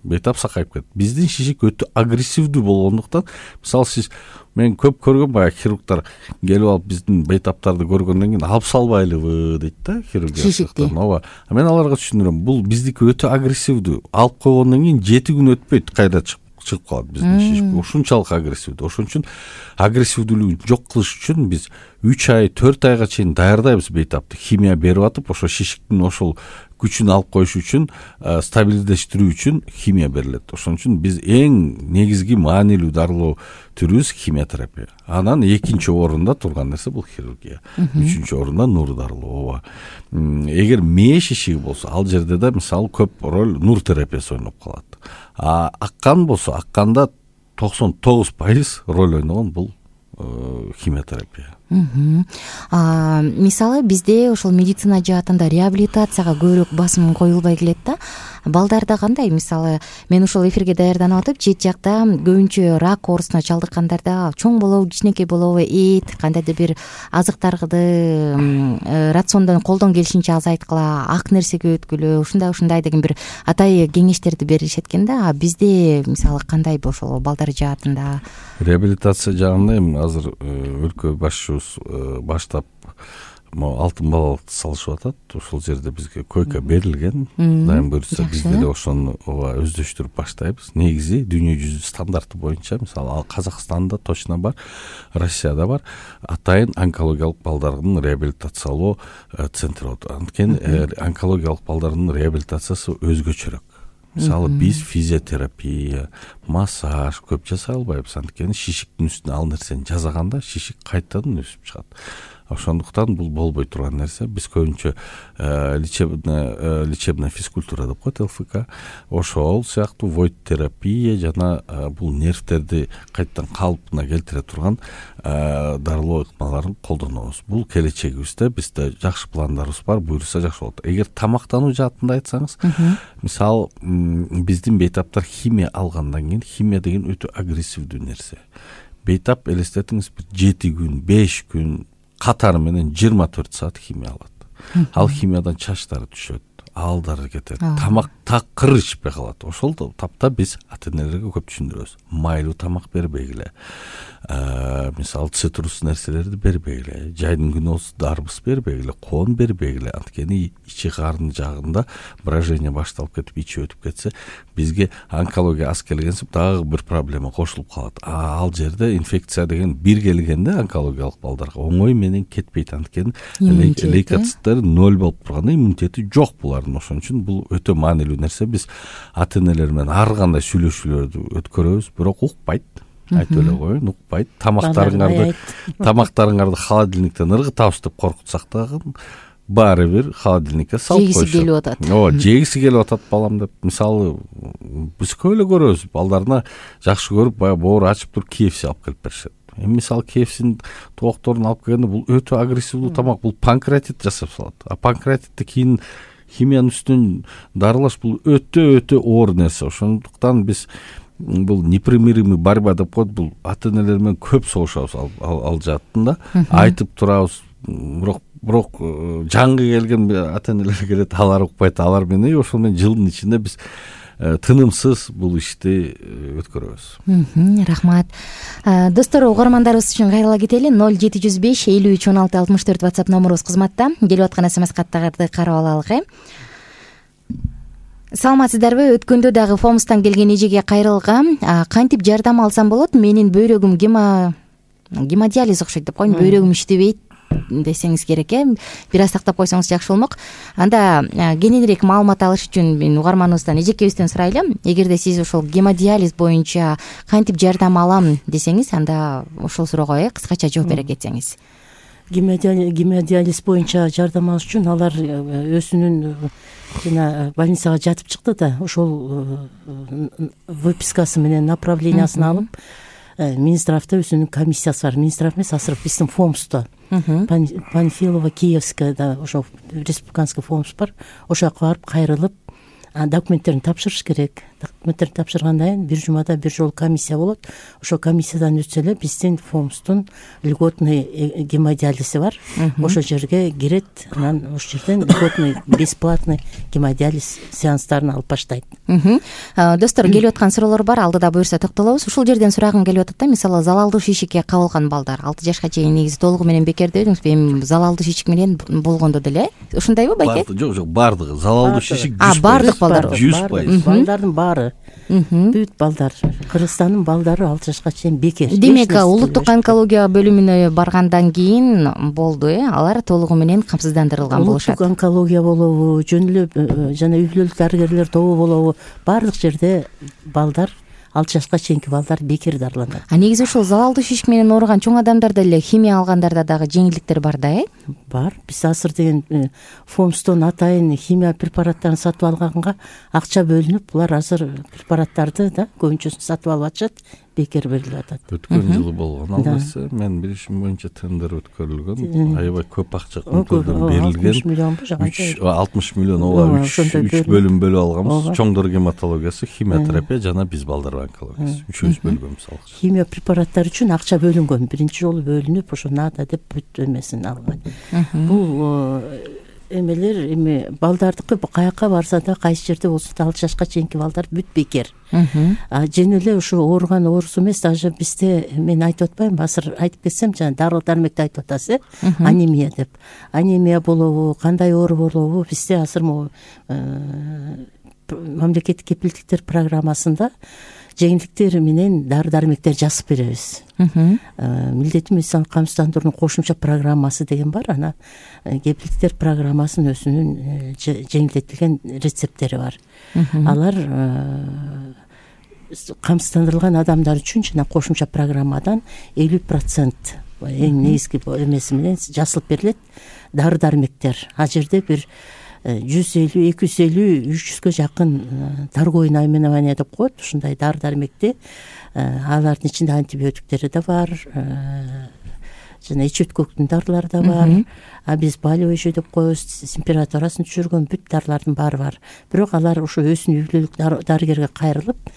бейтап сакайып кетет. Биздин шишик өтө агрессивдүү болгондуктан, мисалы сиз, мен көп көргөм, баягы хирургтар келип алып биздин бейтаптарды көргөндөн кийин алып салбайлыбы дейт да, хирургия шишикти. Ооба. Мен аларга түшүндүрөм, бул биздики өтө агрессивдүү. Алып койгондон кийин 7 күн өтпөйт, кайра чыгып калат биздин шишик. Ушунчалык агрессивдүү. Ошон үчүн агрессивдүүлүгүн жок кылыш үчүн биз 3 ай, 4 айга чейин даярдайбыз бейтапты. Химия берип атып, ошо шишиктин ошол күчүн алып коюш үчүн, стабилдештирүү үчүн химия берилет. Ошон үчүн биз эң негизги маанилүү дарылоо түрүбүз химиотерапия. Анан экинчи орунда турган нерсе бул хирургия. Үчүнчү орунда нур дарылоо. Эгер мээ шишиги болсо, ал жерде да мисалы көп роль нур терапиясы ойноп калат. А аккан болсо, акканда 99% роль ойногон бул химиотерапия. Мисалы бизде ошол медицина жаатында реабилитацияга көбүрөөк басым коюлбай келет да. Балдарда кандай? Мисалы мен ушул эфирге даярданып атып, чет жакта көбүнчө рак оорусуна чалдыккандарда чоң болобу, кичинекей болобу, эт, кандайдыр бир азыктарды рациондон колдон келишинче азайткыла, ак нерсеге өткүлө, ушундай деген бир атайы кеңештерди беришет экен да. А бизде мисалы кандай ошол балдар жаатында? Реабилитация жагында эми азыр өлкө башчыбыз баштап алтын балалыкты салышып атат. Ошол жерде бизге койка берилген. Дайым буюрса биз деле ошону өздөштүрүп баштайбыз. Негизи дүйнө жүзү стандарты боюнча, мисалы ал Казакстанда точно бар, Россияда бар, атайын онкологиялык балдардын реабилитациялоо центри болот. Анткени онкологиялык балдардын реабилитациясы өзгөчөрөөк. Мисалы биз физиотерапия, массаж көп жасай албайбыз. Анткени шишиктин үстүнө ал нерсени жасаганда шишик кайтадан өсүп чыгат. Ошондуктан бул болбой турган нерсе. Биз көбүнчө лечебная физкультура деп коет, ЛФК. Ошол сыяктуу войд терапия жана бул нервтерди кайтадан калыбына келтире турган дарылоо ыкмаларын колдонобуз. Бул келечегибизде бизде жакшы пландарыбыз бар, буюрса жакшы болот. Эгер тамактануу жаатында айтсаңыз, мисалы биздин бейтаптар химия алгандан кийин, химия деген өтө агрессивдүү нерсе. Бейтап элестетиңиз, 7 күн, 5 күн катары менен 24 саат химия алат. Ал химиядан чачтары түшөт, алдары кетет, тамак такыр ичпей калат. Ошол тапта биз ата-энелерге көп түшүндүрөбүз. Майлуу тамак бербегиле. Мисалы цитрус нерселерди бербегиле. Жайдын күнү болсо дарбыз бербегиле, коон бербегиле. Анткени ичи карын жагында брожение башталып кетип, ичи өтүп кетсе, бизге онкология аз келгенсип дагы бир проблема кошулуп калат. Ал жерде инфекция деген бир келгенде онкологиялык балдарга оңой менен кетпейт. Анткени лейкоциттери 0 болуп турганда иммунитети жок булардын. Ошон үчүн бул өтө маанилүү нерсе. Биз ата-энелер менен ар кандай сүйлөшүүлөрдү өткөрөбүз, бирок укпайт. Айтып эле коеюн, укпайт. Тамактарыңарды холодильниктен ыргытабыз деп коркутсак дагы баары бир холодильникке салып коюшат. Жегиси келип атат. Жегиси келип атат балам деп. Мисалы биз көп эле көрөбүз. Балдарына жакшы көрүп, баягы боору ачып туруп KFC алып келип беришет. Мисалы KFC'нин тоокторун алып келгенде бул өтө агрессивдүү тамак, бул панкреатит жасап салат. А панкреатитти кийин химиянын үстүнөн дарылаш бул өтө оор нерсе. Ошондуктан биз бул непримиримый борьба деп коет, бул ата-энелер менен көп согушабыз ал жаатында. Айтып турабыз, бирок жаңгы келген ата-энелер келет, алар укпайт, алар менен ошол менен жылдын ичинде биз тынымсыз бул ишти өткөрөбүз. Рахмат. Достор, угармандарыбыз үчүн кайрыла кетели. 0705 53 16 64 WhatsApp номерубуз кызматта. Келип аткан SMS каттарды карап алалык. Саламатсыздарбы? Өткөндө дагы Фомстан келген эжеге кайрылгам. Кантип жардам алсам болот? Менин бөйрөгүм гемодиализ окшойт деп коеюн. Бөйрөгүм иштебейт десеңиз керек, бир аз тактап койсоңуз жакшы болмок. Анда кененирээк маалымат алыш үчүн мен угарманыбыздан, эжекебизден сурайлы. Эгерде сиз ошол гемодиализ боюнча кантип жардам алам десеңиз, анда ошол суроого кыскача жооп бере кетсеңиз. гемодиализ боюнча жардам алыш үчүн алар өзүнүн жана больницага жатып чыкты да ошол выпискасы менен направлениясын алып Минздравда өзүнүн комиссиясы бар. Минздрав эмес, азыр биздин ФОМСто Панфилова, Киевская ошо республиканский ФОМС бар. Ошол жака барып кайрылып документтерин тапшырыш керек. Документтерин тапшыргандан кийин бир жумада бир жолу комиссия болот. Ошол комиссиядан өтсө эле биздин ФОМСтун льготный гемодиализи бар. Ошол жерге кирет, анан ошол жерден льготный бесплатный гемодиализ сеанстарын алып баштайт. Достор, келип аткан суроолор бар, алдыда буюрса токтолобуз. Ушул жерден сурагым келип атат да, мисалы залалдуу шишикке кабылган балдар 6 жашка чейин негизи толугу менен бекер дедиңизби? Эми залалдуу шишик менен болгондо деле ушундайбы байке? Жок, бардыгы залалдуу шишик 100%. Бардык балдар 100%. Балдардын баары. Бүт балдар, Кыргызстандын балдары 6 жашка чейин бекер. Демек, улуттук онкология бөлүмүнө баргандан кийин болду, алар толугу менен камсыздандырылган болушат. Улуттук онкология болобу, жөн эле жана үй бүлөлүк дарыгерлер тобу болобу, баардык жерде балдар 6 жашка чейинки балдар бекер дарыланат. Негизи ушул залалдуу шишик менен ооруган чоң адамдарда эле химия алгандарда дагы жеңилдиктер бар да, Бар. Биз азыр деген ФОМСтон атайын химия препараттарын сатып алганга акча бөлүнүп, булар азыр препараттарды көбүнчөсүн сатып алып атышат, бекер берилип атат. Өткөн жылы болгон албасы, мен билишим боюнча тендер өткөрүлгөн, аябай көп акча өлкөдөн берилген. 60 миллионбу, 60 миллион, ооба, 3 бөлүм бөлүп алганбыз. Чоңдор гематологиясы, химиотерапия жана биз балдар онкологиясы. Үчөөбүз бөлгөнбүз алгача. Химия препараттары үчүн акча бөлүнгөн. Биринчи жолу бөлүнүп, ошо надо деп бүт эмесин алган. Бул эмелер эми балдардыкы каяка барса да, кайсы жерде болсо да 6 жашка чейинки балдар бүт бекер. Жөн эле ушу ооруган оорусу эмес, даже бизде мен айтып атпайм, азыр айтып кетсем, жана дарыл дармекти айтып атасыз, анемия деп. Анемия болобу, кандай оору болобу, бизде азыр мамлекеттик кепилдиктер программасында жеңилдиктер менен дары дармектер жазып беребиз. Милдеттүү медициналык камсыздандыруунун кошумча программасы деген бар. Ана кепилдиктер программасынын өзүнүн жеңилдетилген рецепттери бар. Алар камсыздандырылган адамдар үчүн жана кошумча программадан 50% эң негизги эмеси менен жасалып берилет дары дармектер. А жерде бир 150, 250, 300гө жакын торговый наименование деп коет. Ушундай дары дармекти, алардын ичинде антибиотиктери да бар, жана ич өткөктүн дарылары да бар. А биз болевой деп коебуз, температурасын түшүргөн бүт дарылардын баары бар. Бирок алар ошо өзүнүн үй бүлөлүк дарыгерге кайрылып,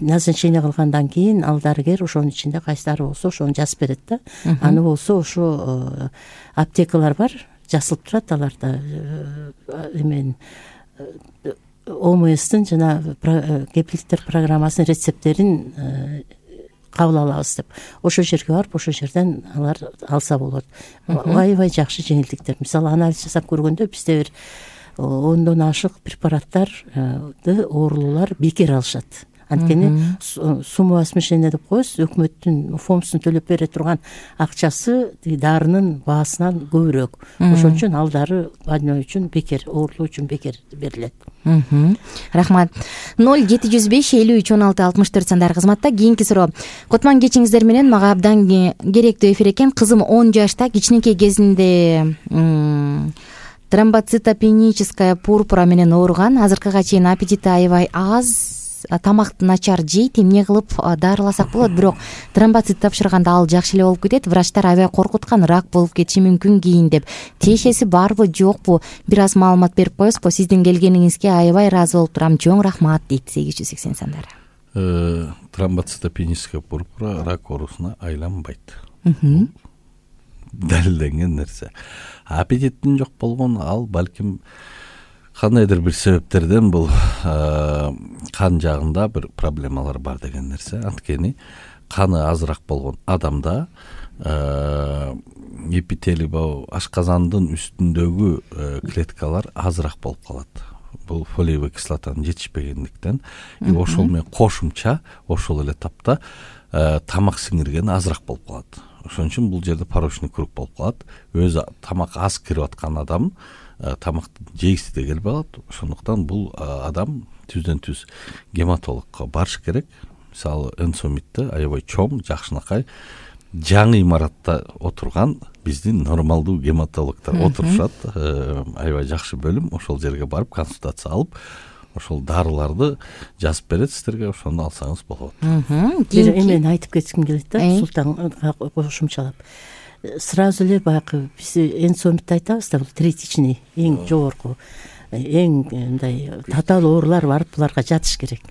назначение кылгандан кийин ал дарыгер ошонун ичинде кайсы дары болсо ошону жазып берет да. Аны болсо ошо аптекалар бар, жасылып турат аларда эмен ОМСтин жана кепилдиктер программасынын рецепттерин кабыл алабыз деп. Ошол жерге барып, ошол жерден алар алса болот. Аябай жакшы жеңилдиктер. Мисалы, анализ жасап көргөндө бизде бир 10дон ашык препараттарды оорулуулар бекер алышат. Анткени сумма смешения деп коебуз, өкмөттүн ФОМСтун төлөп бере турган акчасы дарынын баасынан көбүрөөк. Ошон үчүн ал дары больной үчүн бекер, оорулуу үчүн бекер берилет. Рахмат. 0705531664 сандары кызматта. Кийинки суроо. Кутман кечиңиздер менен, мага абдан керектүү эфир экен. Кызым 10 жашта, кичинекей кезинде тромбоцитопеническая пурпура менен ооруган. Азыркыга чейин аппетити аябай аз, тамакты начар жейт. Эмне кылып дарыласак болот? Бирок тромбоцит тапшырганда ал жакшы эле болуп кетет. Врачтар аябай коркуткан, рак болуп кетиши мүмкүн кийин деп. Тиешеси барбы, жокпу? Бир аз маалымат берип коесузбу? Сиздин келгениңизге аябай ыраазы болуп турам. Чоң рахмат дейт 880 сандары. Тромбоцитопеническая пурпура рак оорусуна айланбайт. Далилденген нерсе. Аппетиттин жок болгон, ал балким кандайдыр бир себептерден бул кан жагында бир проблемалар бар деген нерсе. Анткени каны азыраак болгон адамда эпителий, ашказандын үстүндөгү клеткалар азыраак болуп калат. Бул фолиевый кислотанын жетишпегендиктен, ошол менен кошумча ошол эле тапта тамак сиңирген азыраак болуп калат. Ошон үчүн бул жерде порочный круг болуп калат. Өзү тамак аз кирип аткан адам тамакты жейси де келбей калат. Ошондуктан бул адам түздөн түз гематологко барыш керек. Мисалы, энсомитти аябай чоң, жакшынакай жаңы имаратта отурган биздин нормалдуу гематологдор отурушат. Аябай жакшы бөлүм. Ошол жерге барып консультация алып, ошол дарыларды жазып берет сиздерге, ошону алсаңыз болот. Бир эмени айтып кетким келет да, Султанга кошумчалап. Сразу эле баягы биз энсомитти айтабыз да, бул третичный, эң жогорку, эң мындай татаал оорулар барып буларга жатыш керек.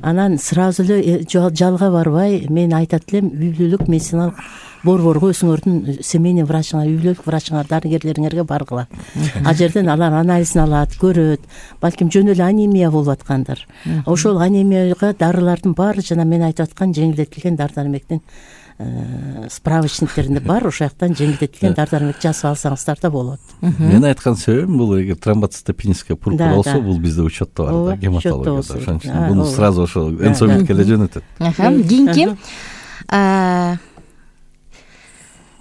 Анан сразу эле жалга барбай, мен айтат элем, үй бүлөлүк медициналык борборго өзүңөрдүн семейный врачыңар, үй бүлөлүк врачыңар, дарыгерлериңерге баргыла. Ал жерден алар анализин алат, көрөт, балким жөн эле анемия болуп аткандыр. Ошол анемияга дарылардын баары жана мен айтып аткан жеңилдетилген дары-дармектин справочниктеринде бар, ошол жактан жеңилдетилген дары-дармек жасап алсаңыздар да болот. Мен айткан себебим бул эгер тромбоцитопеническая пурпура болсо, бул бизде учетто бар да, гематологияда. Ошон үчүн буну сразу ошол энсомитке эле жөнөтөт. Кийинки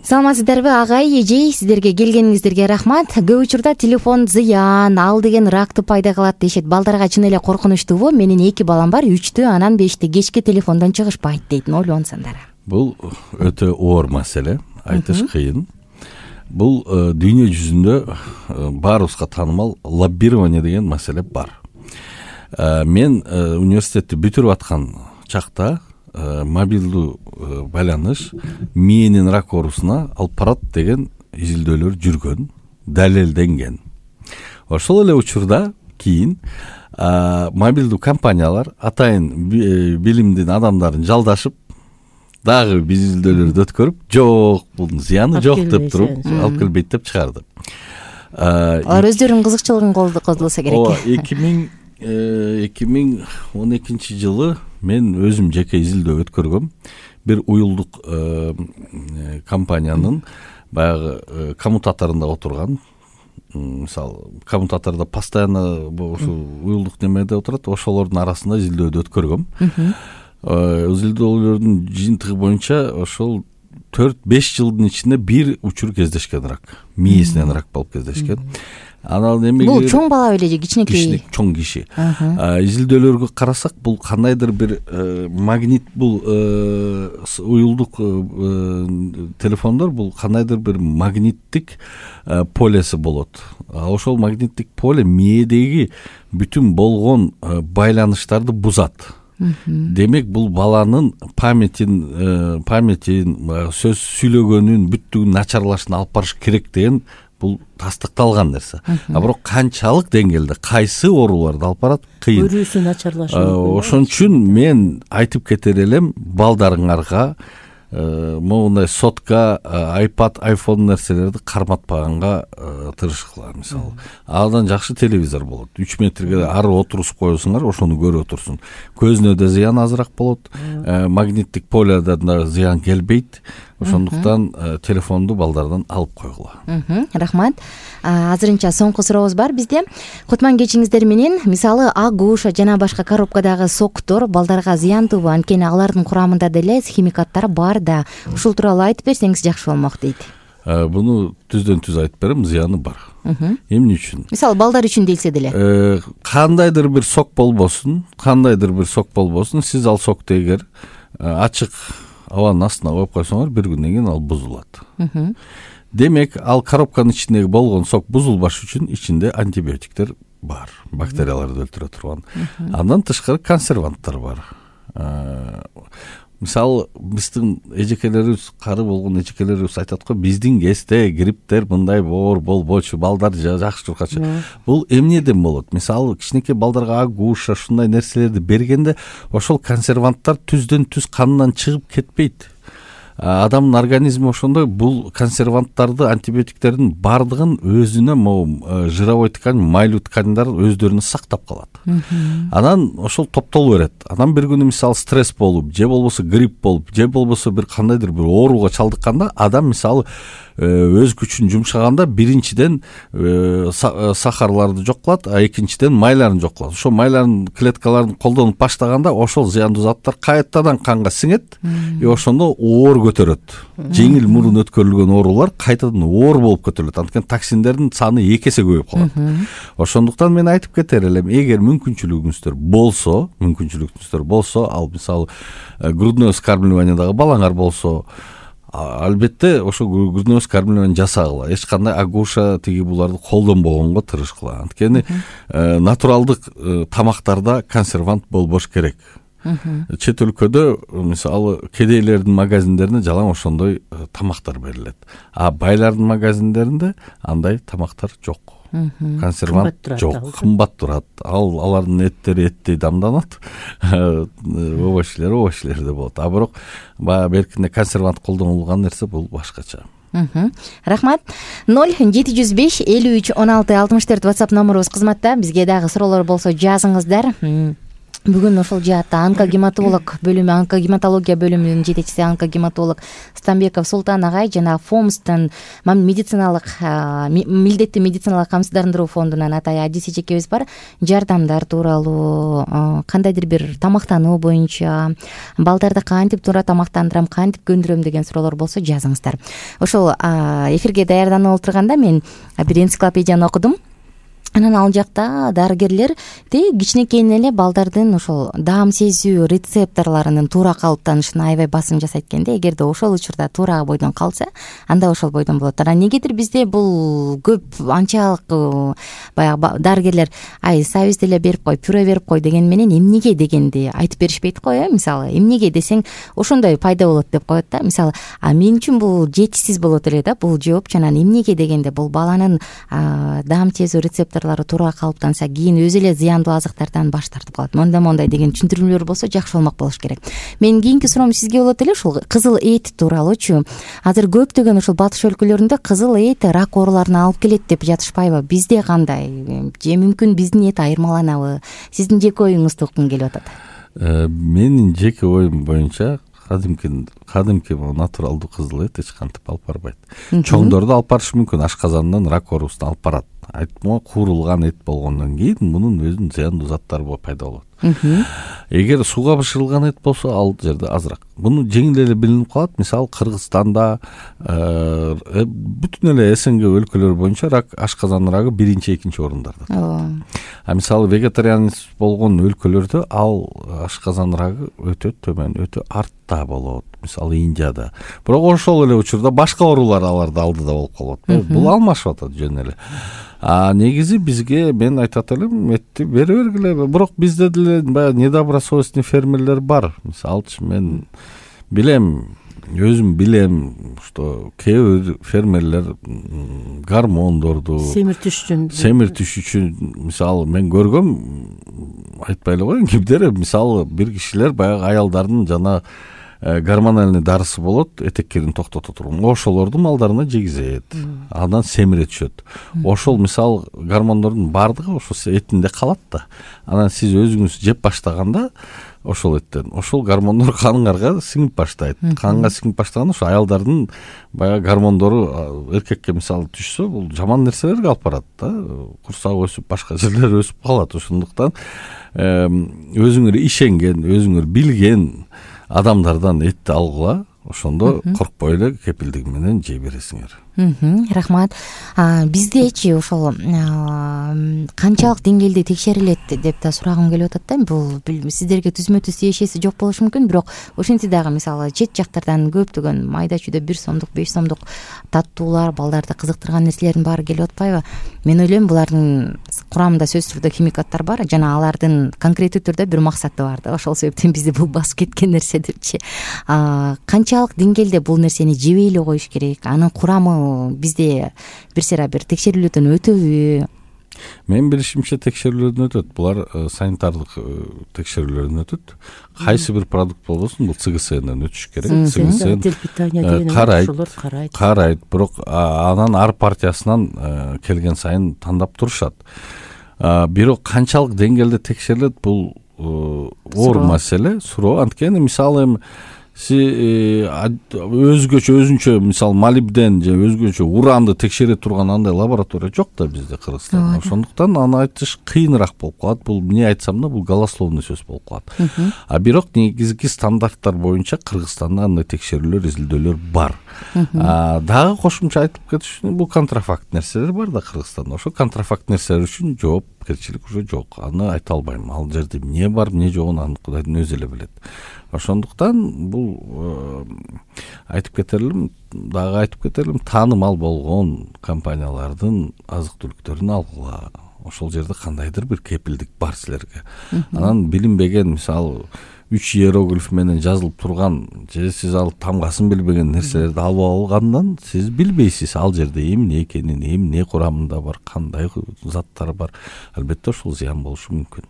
саламатсыздарбы агай, эжей, сиздерге келгениңиздерге рахмат. Көп учурда телефон зыян, ал деген ракты пайда кылат дешет. Балдарга чын эле коркунучтуубу? Менин 2 балам бар, 3тү, анан 5ти кечке телефондон чыгышпайт дейт. Ойлонсаңдар. Бул өтө оор маселе, айтыш кыйын. Бул дүйнө жүзүндө баарыбызга таанымал лоббирование деген маселе бар. Мен университетти бүтүрүп аткан чакта мобилдүү байланыш миенин рак оорусуна алып барат деген изилдөөлөр жүргөн, далелденген. Ошол эле учурда кийин мобилдүү компаниялар атайын билимдин адамдарын жалдашып, дагы изилдөөлөрдү өткөрүп, жок, бунун зыяны жок деп туруп, алып келбейт деп чыгарды. Алар өздөрүнүн кызыкчылыгын колдолсо керек. 2012 жылы мен өзүм жеке изилдөө өткөргөм. Бир уюлдук компаниянын баягы коммутаторунда отурган, мисалы, коммутатордо постоянно ушул уюлдук немеде отурат, ошолордун арасында изилдөөдү өткөргөм. Изилдөөлөрдүн жыйынтыгы боюнча ошол 4-5 жылдын ичинде бир учур кездешкен рак, миесинен рак болуп кездешкен. Анан эмеге бул чоң бала беле же кичинекей? Чоң киши. Изилдөөлөргө карасак, бул кандайдыр бир магнит, бул уюлдук телефондор, бул кандайдыр бир магниттик полеси болот. Ошол магниттик поле миедеги бүтүн болгон байланыштарды бузат. Демек, бул баланын памятин, сөз сүйлөгөнүн, бүттүгүн начарлашына алып барыш керек деген бул тастыкталган нерсе. Бирок канчалык деңгээлде кайсы ооруларды алып барат кыйын. Көрүүсү начарлашы мүмкүн. Ошон үчүн мен айтып кетер элем, балдарыңарга моундай сотка, iPad, iPhone нерселерди карматпаганга тырышкыла. Мисалы, адан жакшы телевизор болот. 3 метрге ары отурусуп коесуңар, ошону көрүп отурсун. Көзүнө да зыян азыраак болот. Магниттик поледан да зыян келбейт. Ошондуктан телефонду балдардан алып койгула. Рахмат. Азырынча соңку сурообуз бар бизде. Кутман кечиңиздер менен. Мисалы, агуша жана башка коробкадагы соктор балдарга зыяндуубу? Анткени алардын курамында деле химикаттар бар да. Ушул тууралуу айтып берсеңиз жакшы болмок дейт. Буну түздөн түз айтып берем, зыяны бар. Эмне үчүн? Мисалы, балдар үчүн делсе деле. Кандайдыр бир сок болбосун, сиз ал сокто эгер ачык абанын астына коюп койсоңор, бир күндөн кийин ал бузулат. Демек, ал коробканын ичиндеги болгон сок бузулбаш үчүн ичинде антибиотиктер бар, бактерияларды өлтүрө турган. Андан тышкары консерванттар бар. Мисалы, биздин эжекелерибиз, кары болгон эжекелерибиз айтат го, биздин кезде грипптер мындай оор болбочу, балдар жакшы тургачу. Бул эмнеден болот? Мисалы, кичинекей балдарга агуша, ушундай нерселерди бергенде, ошол консерванттар түздөн түз канынан чыгып кетпейт. Адамдын организми ошондой, бул консерванттарды, антибиотиктердин бардыгын өзүнө жировой ткань, майлуу тканьдар өздөрүнө сактап калат. Анан ошол топтолуп берет. Анан бир күнү мисалы стресс болуп, же болбосо грипп болуп, же болбосо бир кандайдыр бир ооруга чалдыкканда, адам мисалы өз күчүн жумшаганда биринчиден сахарларды жок кылат, а экинчиден майларын жок кылат. Ошо майларын, клеткаларын колдонуп баштаганда ошол зыяндуу заттар кайтадан канга сиңет, ошондо оор көтөрөт. Жеңил мурун өткөрүлгөн оорулар кайтадан оор болуп көтөрүлөт. Анткени токсиндердин саны 2 эсе көбөйүп калат. Ошондуктан мен айтып кетер элем, эгер мүмкүнчүлүгүңүздөр болсо, ал мисалы грудное вскармливаниедагы балаңар болсо, албетте ошо күрнөөс кормление менен жасагыла, эч кандай агуша тиги буларды колдонбогонго тырышкыла. Анткени натуралдык тамактарда консервант болбош керек. Чет өлкөдө мисалы кедейлердин магазиндерине жалаң ошондой тамактар берилет, а байлардын магазиндеринде андай тамактар жок. Консервант жок, кымбат турат. Алардын эттери эттей дамданат, овощилерде болот. А бирок баягы беркинде консервант колдонулган нерсе бул башкача. Рахмат. 0-705-53-16-64 WhatsApp номерубуз кызматта. Бизге дагы суроолор болсо жазыңыздар. Бүгүн ошол жаатта онкогематолог бөлүмү, онкогематология бөлүмүнүн жетекчиси онкогематолог Станбеков Султан агай жана ФОМСтын милдеттүү медициналык камсыздандыруу фондунан атай Адис эжекебиз бар. Жардамдар тууралуу, кандайдыр бир тамактануу боюнча, балдарды кантип туура тамактандырам, кантип көндүрөм деген суроолор болсо жазыңыздар. Ошол эфирге даярданып отурганда мен бир энциклопедияны окудум. Анан ал жакта дарыгерлер кичинекейинен эле балдардын ошол даам сезүү рецепторлорунун туура калыптанышына аябай басым жасайт экен. Эгерде ошол учурда туура бойдон калса, анда ошол бойдон болот. Анан негедир бизде бул көп анчалык баягы дарыгерлер сабиз деле берип кой, пюре берип кой деген менен эмнеге дегенди айтып беришпейт го. Мисалы эмнеге десең ошондой пайда болот деп коет да. Мисалы мен үчүн бул жетишсиз болот эле да бул жооп. Анан эмнеге дегенде бул баланын даам сезүү рецепторлору туура калыптанса кийин өзү эле зыяндуу азыктардан баш тартып калат. Мондай деген түшүндүрмөлөр болсо жакшы болмок болуш керек. Менин кийинки суроом сизге болот эле ушул кызыл эт тууралуучу. Азыр көптөгөн ушул батыш өлкөлөрүндө кызыл эт рак ооруларына алып келет деп жатышпайбы? Бизде кандай? Же мүмкүн биздин эт айырмаланабы? Сиздин жеке оюңузду уккум келип атат. Менин жеке оюм боюнча кадимки натуралдуу кызыл эт эч кантип алып барбайт. Чоңдорду алып барышы мүмкүн, ашказандан рак оорусун алып барат. Айтма куурулган эт болгондон кийин мунун өзүнүн зыяндуу заттары пайда болот. Эгер сууга бышырылган эт болсо ал жерде азыраак. Муну жеңил эле билинип калат. Мисалы Кыргызстанда бүтүн эле СНГ өлкөлөр боюнча рак, ашказан рагы 1-2 орундарда. А мисалы вегетарианист болгон өлкөлөрдө ал ашказан рагы өтө төмөн, өтө артта болот. Мисалы Индияда. Бирок ошол эле учурда башка оорулар аларды алдыда болуп калат. Бул алмашып атат жөн эле. Негизи бизге мен айтат элем, этти бере бергиле. Бирок бизде деле баягы недобросовестный фермерлер бар. Мисалчы мен өзүм билем, что кээ бир фермерлер гормондорду семиртиш үчүн мисалы мен көргөм, айтпай эле коеюн, кимдер мисалы бир кишилер баягы аялдардын жана гормональный дарысы болот, этеккерин токтото турган. Ошолорду малдарына жегизет, андан семире түшөт. Ошол мисалы гормондордун бардыгы ошол этинде калат да. Анан сиз өзүңүз жеп баштаганда ошол эттен ошол гормондор каныңарга сиңип баштайт. Канга сиңип баштаганда ошо аялдардын баягы гормондору эркекке мисалы түшсө, бул жаман нерселерге алып барат да. Курсак өсүп, башка жерлер өсүп калат. Ошондуктан өзүңөр ишенген, өзүңөр билген адамдардан этти алгыла, ошондо коркпой эле кепилдиги менен жей бересиңер. Рахмат. Биздечи ошол канчалык деңгээлде текшерилет деп да сурагым келип атат да. Бул сиздерге түзмө-түз тиешеси жок болушу мүмкүн, бирок ошентсе дагы мисалы чет жактардан көптөгөн майда чүйдө 1 сомдук, 5 сомдук таттуулар, балдарды кызыктырган нерселердин баары келип атпайбы? Мен ойлойм, булардын курамында сөзсүз түрдө химикаттар бар, жана алардын конкреттүү түрдө бир максаты бар да. Ошол себептен бизди бул басып кеткен нерсе депчи. Канчалык деңгээлде бул нерсени жебей эле коюш керек? Анын курамы бизде бир текшерүүлөрдөн өтөбү? Мен билишимче текшерүүлөрдөн өтөт. Булар санитардык текшерүүлөрдөн өтөт. Кайсы бир продукт болбосун, бул ЦГСНден өтүш керек. ЦГСН карайт, бирок анан ар партиясынан келген сайын тандап турушат. Бирок канчалык деңгээлде текшерилет, бул оор маселе, суроо. Анткени мисалы өзүнчө мисалы молибден же өзгөчө уранды текшере турган андай лаборатория жок да бизде Кыргызстанда. Ошондуктан аны айтыш кыйыныраак болуп калат. Бул эмне айтсам да, бул голословный сөз болуп калат. Бирок негизги стандарттар боюнча Кыргызстанда андай текшерүүлөр, изилдөөлөр бар. Дагы кошумча айтып кетиш, бул контрафакт нерселер бар да Кыргызстанда. Ошо контрафакт нерселер үчүн жооп жоопкерчилик уже жок. Аны айта албайм. Ал жерде эмне бар, эмне жогун аны Кудайдын өзү эле билет. Ошондуктан бул айтып кетерлим, таанымал болгон компаниялардын азык түлүктөрүн алгыла. Ошол жерде кандайдыр бир кепилдик бар силерге. Анан билинбеген, мисалы 3 иероглиф менен жазылып турган же сиз ал тамгасын билбеген нерселерди алып алгандан сиз билбейсиз ал жерде эмне экенин, эмне курамында бар, кандай заттар бар. Албетте ушул зыян болушу мүмкүн.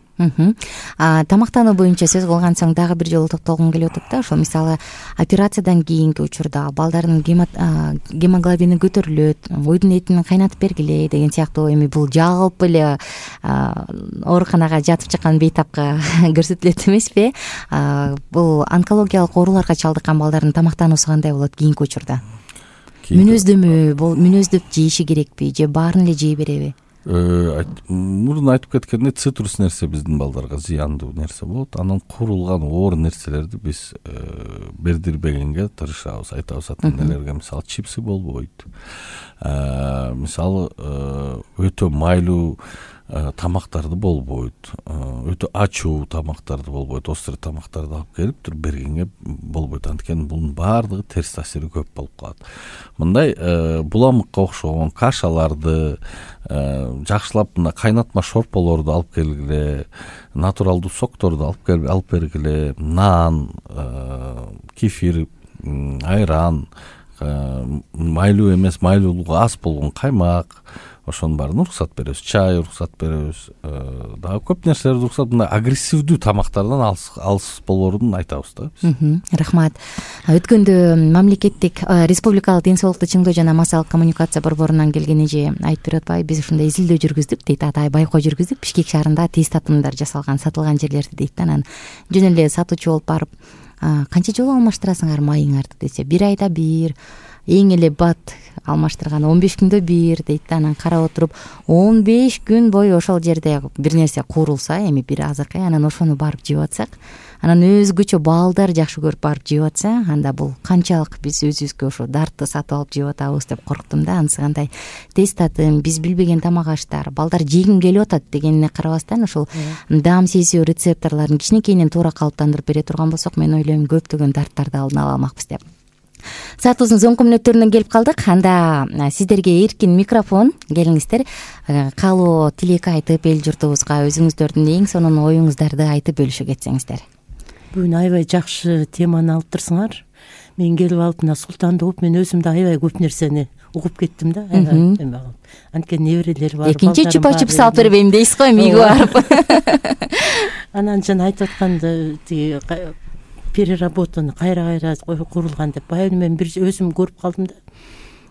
Тамактануу боюнча сөз кылган соң дагы бир жолу токтолгум келип атат да. Ошол мисалы операциядан кийинки учурда балдардын гемоглобини көтөрүлөт, уйдун этин кайнатып бергиле деген сыяктуу, эми бул жалпы эле ооруканага жатып чыккан бейтапка көрсөтүлөт эмеспи? Бул онкологиялык ооруларга чалдыккан балдардын тамактануусу кандай болот кийинки учурда? Мүнөздөп жейиши керекпи же баарын эле жей береби? Мурун айтып кеткендей, цитрус нерсе биздин балдарга зыяндуу нерсе болот. Анан курулган оор нерселерди биз бердирбегенге тырышабыз. Айтабыз ата-энелерге, мисалы чипсы болбойт. Мисалы өтө майлуу тамактарды болбойт, өтө ачуу тамактарды болбойт, острый тамактарды алып келип туруп бергенге болбойт. Анткени бунун баардыгы терс таасири көп болуп калат. Мындай буламыкка окшогон кашаларды жакшылап мына кайнатма шорполорду алып келгиле, натуралдуу сокторду алып бергиле, нан, кефир, айран, майлуу эмес, майлуулугу аз болгон каймак, ошонун баарын уруксат беребиз. Чай уруксат беребиз. Дагы көп нерселерди уруксат, мындай агрессивдүү тамактардан алыс болоорун айтабыз да. Рахмат. Өткөндө мамлекеттик республикалык ден соолукту чыңдоо жана массалык коммуникация борборунан келген эже айтып берип атпайбы, биз ушундай изилдөө жүргүздүк дейт, атай байкоо жүргүздүк. Бишкек шаарында тест татымдар жасалган, сатылган жерлерди дейт да. Анан жөн эле сатуучу болуп барып, канча жолу алмаштырасыңар майыңарды десе, 1 айда 1, эң эле бат алмаштырган 15 күндө 1 дейт да. Анан карап отуруп 15 күн бою ошол жерде бир нерсе куурулса, эми бир азыркы, анан ошону барып жеп атсак, анан өзгөчө балдар жакшы көрүп барып жеп атса, анда бул канчалык биз өзүбүзгө ошо дартты сатып алып жеп атабыз деп корктум да. Анысы кандай тест татым, биз билбеген тамак аштар, балдар жегим келип атат дегенине карабастан ошол даам сезүү рецепторлорун кичинекейинен туура калыптандырып бере турган болсок, мен ойлойм көптөгөн дарттарды алдын ала алмакпыз деп. Саатыбыздын соңку мүнөттөрүнө келип калдык. Анда сиздерге эркин микрофон, келиңиздер, каалоо тилек айтып эл журтубузга өзүңүздөрдүн эң сонун оюңуздарды айтып бөлүшө кетсеңиздер. Бүгүн аябай жакшы теманы алып турсуңар. Мен келип алып мына Султанды угуп, мен өзүм да аябай көп нерсени угуп кеттим да. Анткени неберелери бар. Экинчи чупа-чуп салып бербейм дейсиз го, миги барып. Анан жана айтып атканда тиги переработаны кайра курулган деп баягы мен бир өзүм көрүп калдым да.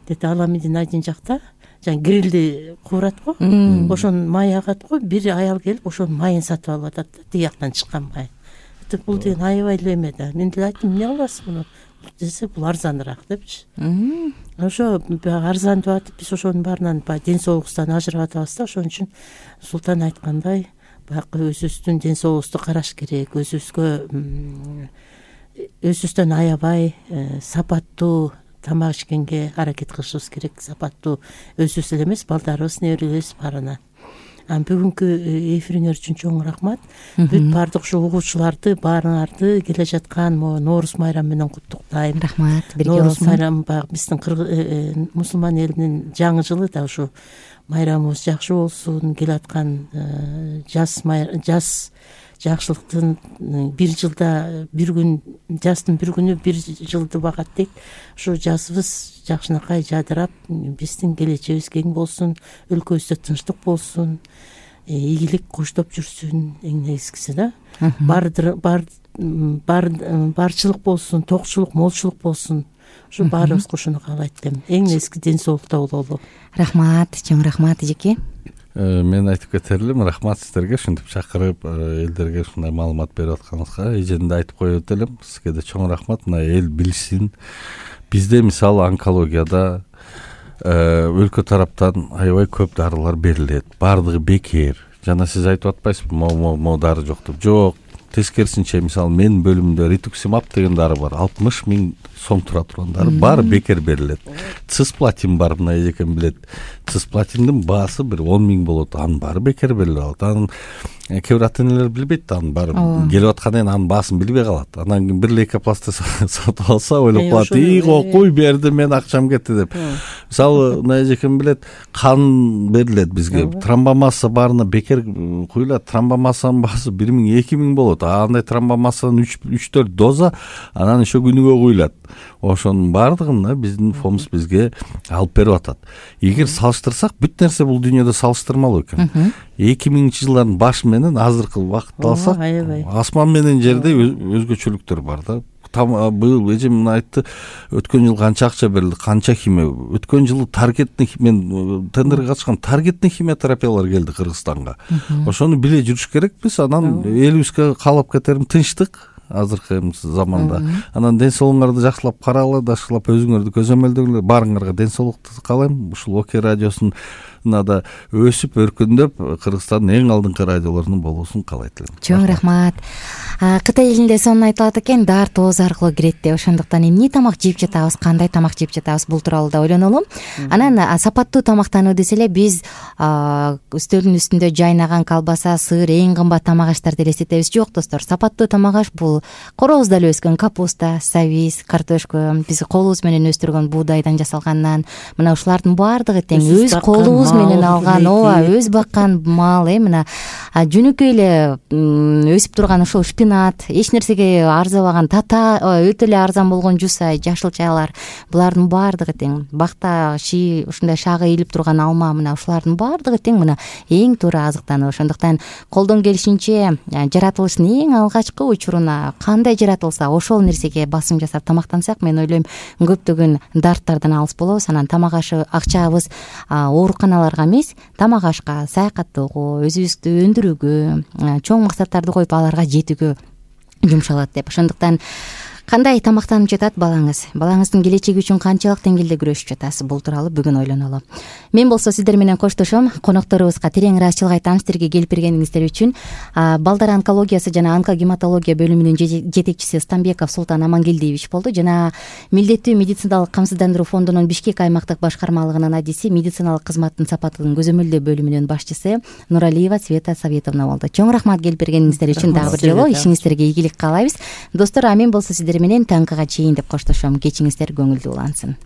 Дети Аламидин айдын жакта жана грилди куурат го, ошонун майы агат го, бир аял келип ошонун майын сатып алып атат да, тиги жактан чыккан май. Бул деген аябай эле эме да. Мен деле айттым, эмне кыласыз муну десе, бул арзаныраак депчи. Ошо арзан деп атып, биз ошонун баарынан баягы ден соолугубуздан ажырап атабыз да. Ошон үчүн Султан айткандай, баягы өзүбүздүн ден соолугубузду караш керек, өзүбүздөн аябай сапаттуу тамак ичкенге аракет кылышыбыз керек. Сапаттуу өзүбүз эле эмес, балдарыбыз, неберелерибиз барына. Бүгүнкү эфириңер үчүн чоң рахмат. Бүт баардык ушу угуучуларды, баарыңарды келе жаткан Нооруз майрамы менен куттуктайм. Рахмат. Нооруз майрамы баягы биздин мусулман элинин жаңы жылы да, ушу майрамыбыз жакшы болсун. Келаткан жаз жакшылыктын бир жылда бир күн, жаздын бир күнү бир жылды багат дейт. Ушу жазыбыз жакшынакай жадырап, биздин келечегибиз кең болсун, өлкөбүздө тынчтык болсун, ийгилик коштоп жүрсүн, эң негизгиси да. Барчылык болсун, токчулук, молчулук болсун. Ушу баарыбыз ушуну каалайт элем. Эң негизги ден соолукта бололу. Рахмат, чоң рахмат эжеке. Мен айтып кетер элем, рахмат сиздерге ушинтип чакырып, элдерге ушундай маалымат берип атканыңызга. Эжени да айтып коет элем, сизге да чоң рахмат. Мына эл билсин. Бизде мисалы онкологияда өлкө тараптан аябай көп дарылар берилет. Баардыгы бекер. Жана сиз айтып атпайсызбы, мо дары жок деп. Жок, тескерисинче мисалы менин бөлүмүмдө ритуксимаб деген дары бар, 60 000 сом тура турган дары баары бекер берилет. Цисплатин бар, мына эжекем билет. Цисплатиндин баасы бир 10 000 болот, анын баары бекер берилип алат. Анын кээ бир ата-энелер билбейт да, анын баары келип аткандан кийин анын баасын билбей калат. Анан кийин бир лейкопластырь сатып алса ойлоп калат, куй берди, мен акчам кетти деп. Мисалы мына эжекем билет, кан берилет бизге, тромбомасса баарына бекер куюлат. Тромбомассанын баасы 1 000 2 000 болот. Андай тромбомассанын 3-4 доза анан еще күнүгө куюлат. Ошонун баардыгын биздин фомс бизге алып берип атат. Эгер салыштырсак, бүт нерсе бул дүйнөдө салыштырмалуу экен. 2000-жылдардын башы менен азыркы убакытты алсак, асман менен жерде өзгөчөлүктөр бар да. Быйыл эжем мына айтты, өткөн жыл канча акча берилди, канча химия. Өткөн жылы таргетный, мен тендерге катышкам, таргетный химиотерапиялар келди Кыргызстанга. Ошону биле жүрүш керекпиз. Анан элибизге каалап кетерим тынчтык азыркы заманда. Анан ден соолугуңарды жакшылап карагыла, дашкылап өзүңөрдү көзөмөлдөгүлөр. Баарыңарга ден соолукту каалайм. Ушул ОК радиосунун да өсүп өркүндөп Кыргызстандын эң алдыңкы радиолорунун болуусун каалайт элем. Чоң рахмат. Кытай элинде сонун айтылат экен, дар тооз аркылуу кирет деп. Ошондуктан эмне тамак жеп жатабыз, кандай тамак жеп жатабыз, бул тууралуу да ойлонолу. Анан сапаттуу тамактануу десе эле биз үстөлдүн үстүндө жайнаган колбаса, сыр, эң кымбат тамак аштарды элестетебиз. Жок достор, сапаттуу тамак аш бул коробузда эле өскөн капуста, сабиз, картошка, биз колубуз менен өстүргөн буудайдан жасалган нан. Мына ушулардын баардыгы тең өз колубуз менен алган, өз баккан мал, мына жөнөкөй эле өсүп турган ушул шпинат, эч нерсеге арзабаган тата, өтө эле арзан болгон жусай, жашыл чайлар, булардын баардыгы тең. Бакта ушундай шагы ийилип турган алма, мына ушулардын баардыгы тең мына эң туура азыктануу. Ошондуктан колдон келишинче жаратылыштын эң алгачкы учуруна кандай жаратылса, ошол нерсеге басым жасап тамактансак, мен ойлойм көптөгөн дарттардан алыс болобуз. Анан тамак акчабыз ооруканаларга эмес, тамак ашка, саякаттоого, өзүбүздү өндүрүүгө, чоң максаттарды коюп аларга жетүүгө жумшалат деп. Ошондуктан кандай тамактанып жатат балаңыз? Балаңыздын келечеги үчүн канчалык деңгээлде күрөшүп жатасыз? Бул тууралуу бүгүн ойлонолу. Мен болсо сиздер менен коштошом. Конокторубузга терең ыраазычылык айтам сиздерге келип бергениңиздер үчүн. Балдар онкологиясы жана онкогематология бөлүмүнүн жетекчиси Станбеков Султан Амангелдиевич болду. Жана милдеттүү медициналык камсыздандыруу фондунун Бишкек аймактык башкармалыгынын адиси, медициналык кызматтын сапаттын көзөмөлдөө бөлүмүнүн башчысы Нуралиева Света Советовна болду. Чоң рахмат келип бергениңиздер үчүн дагы бир жолу. Ишиңиздерге ийгилик каалайбыз. Достор, мен болсо сиздер менен таңкыга чейин деп коштошом. Кечиңиздер көңүлдүү улансын.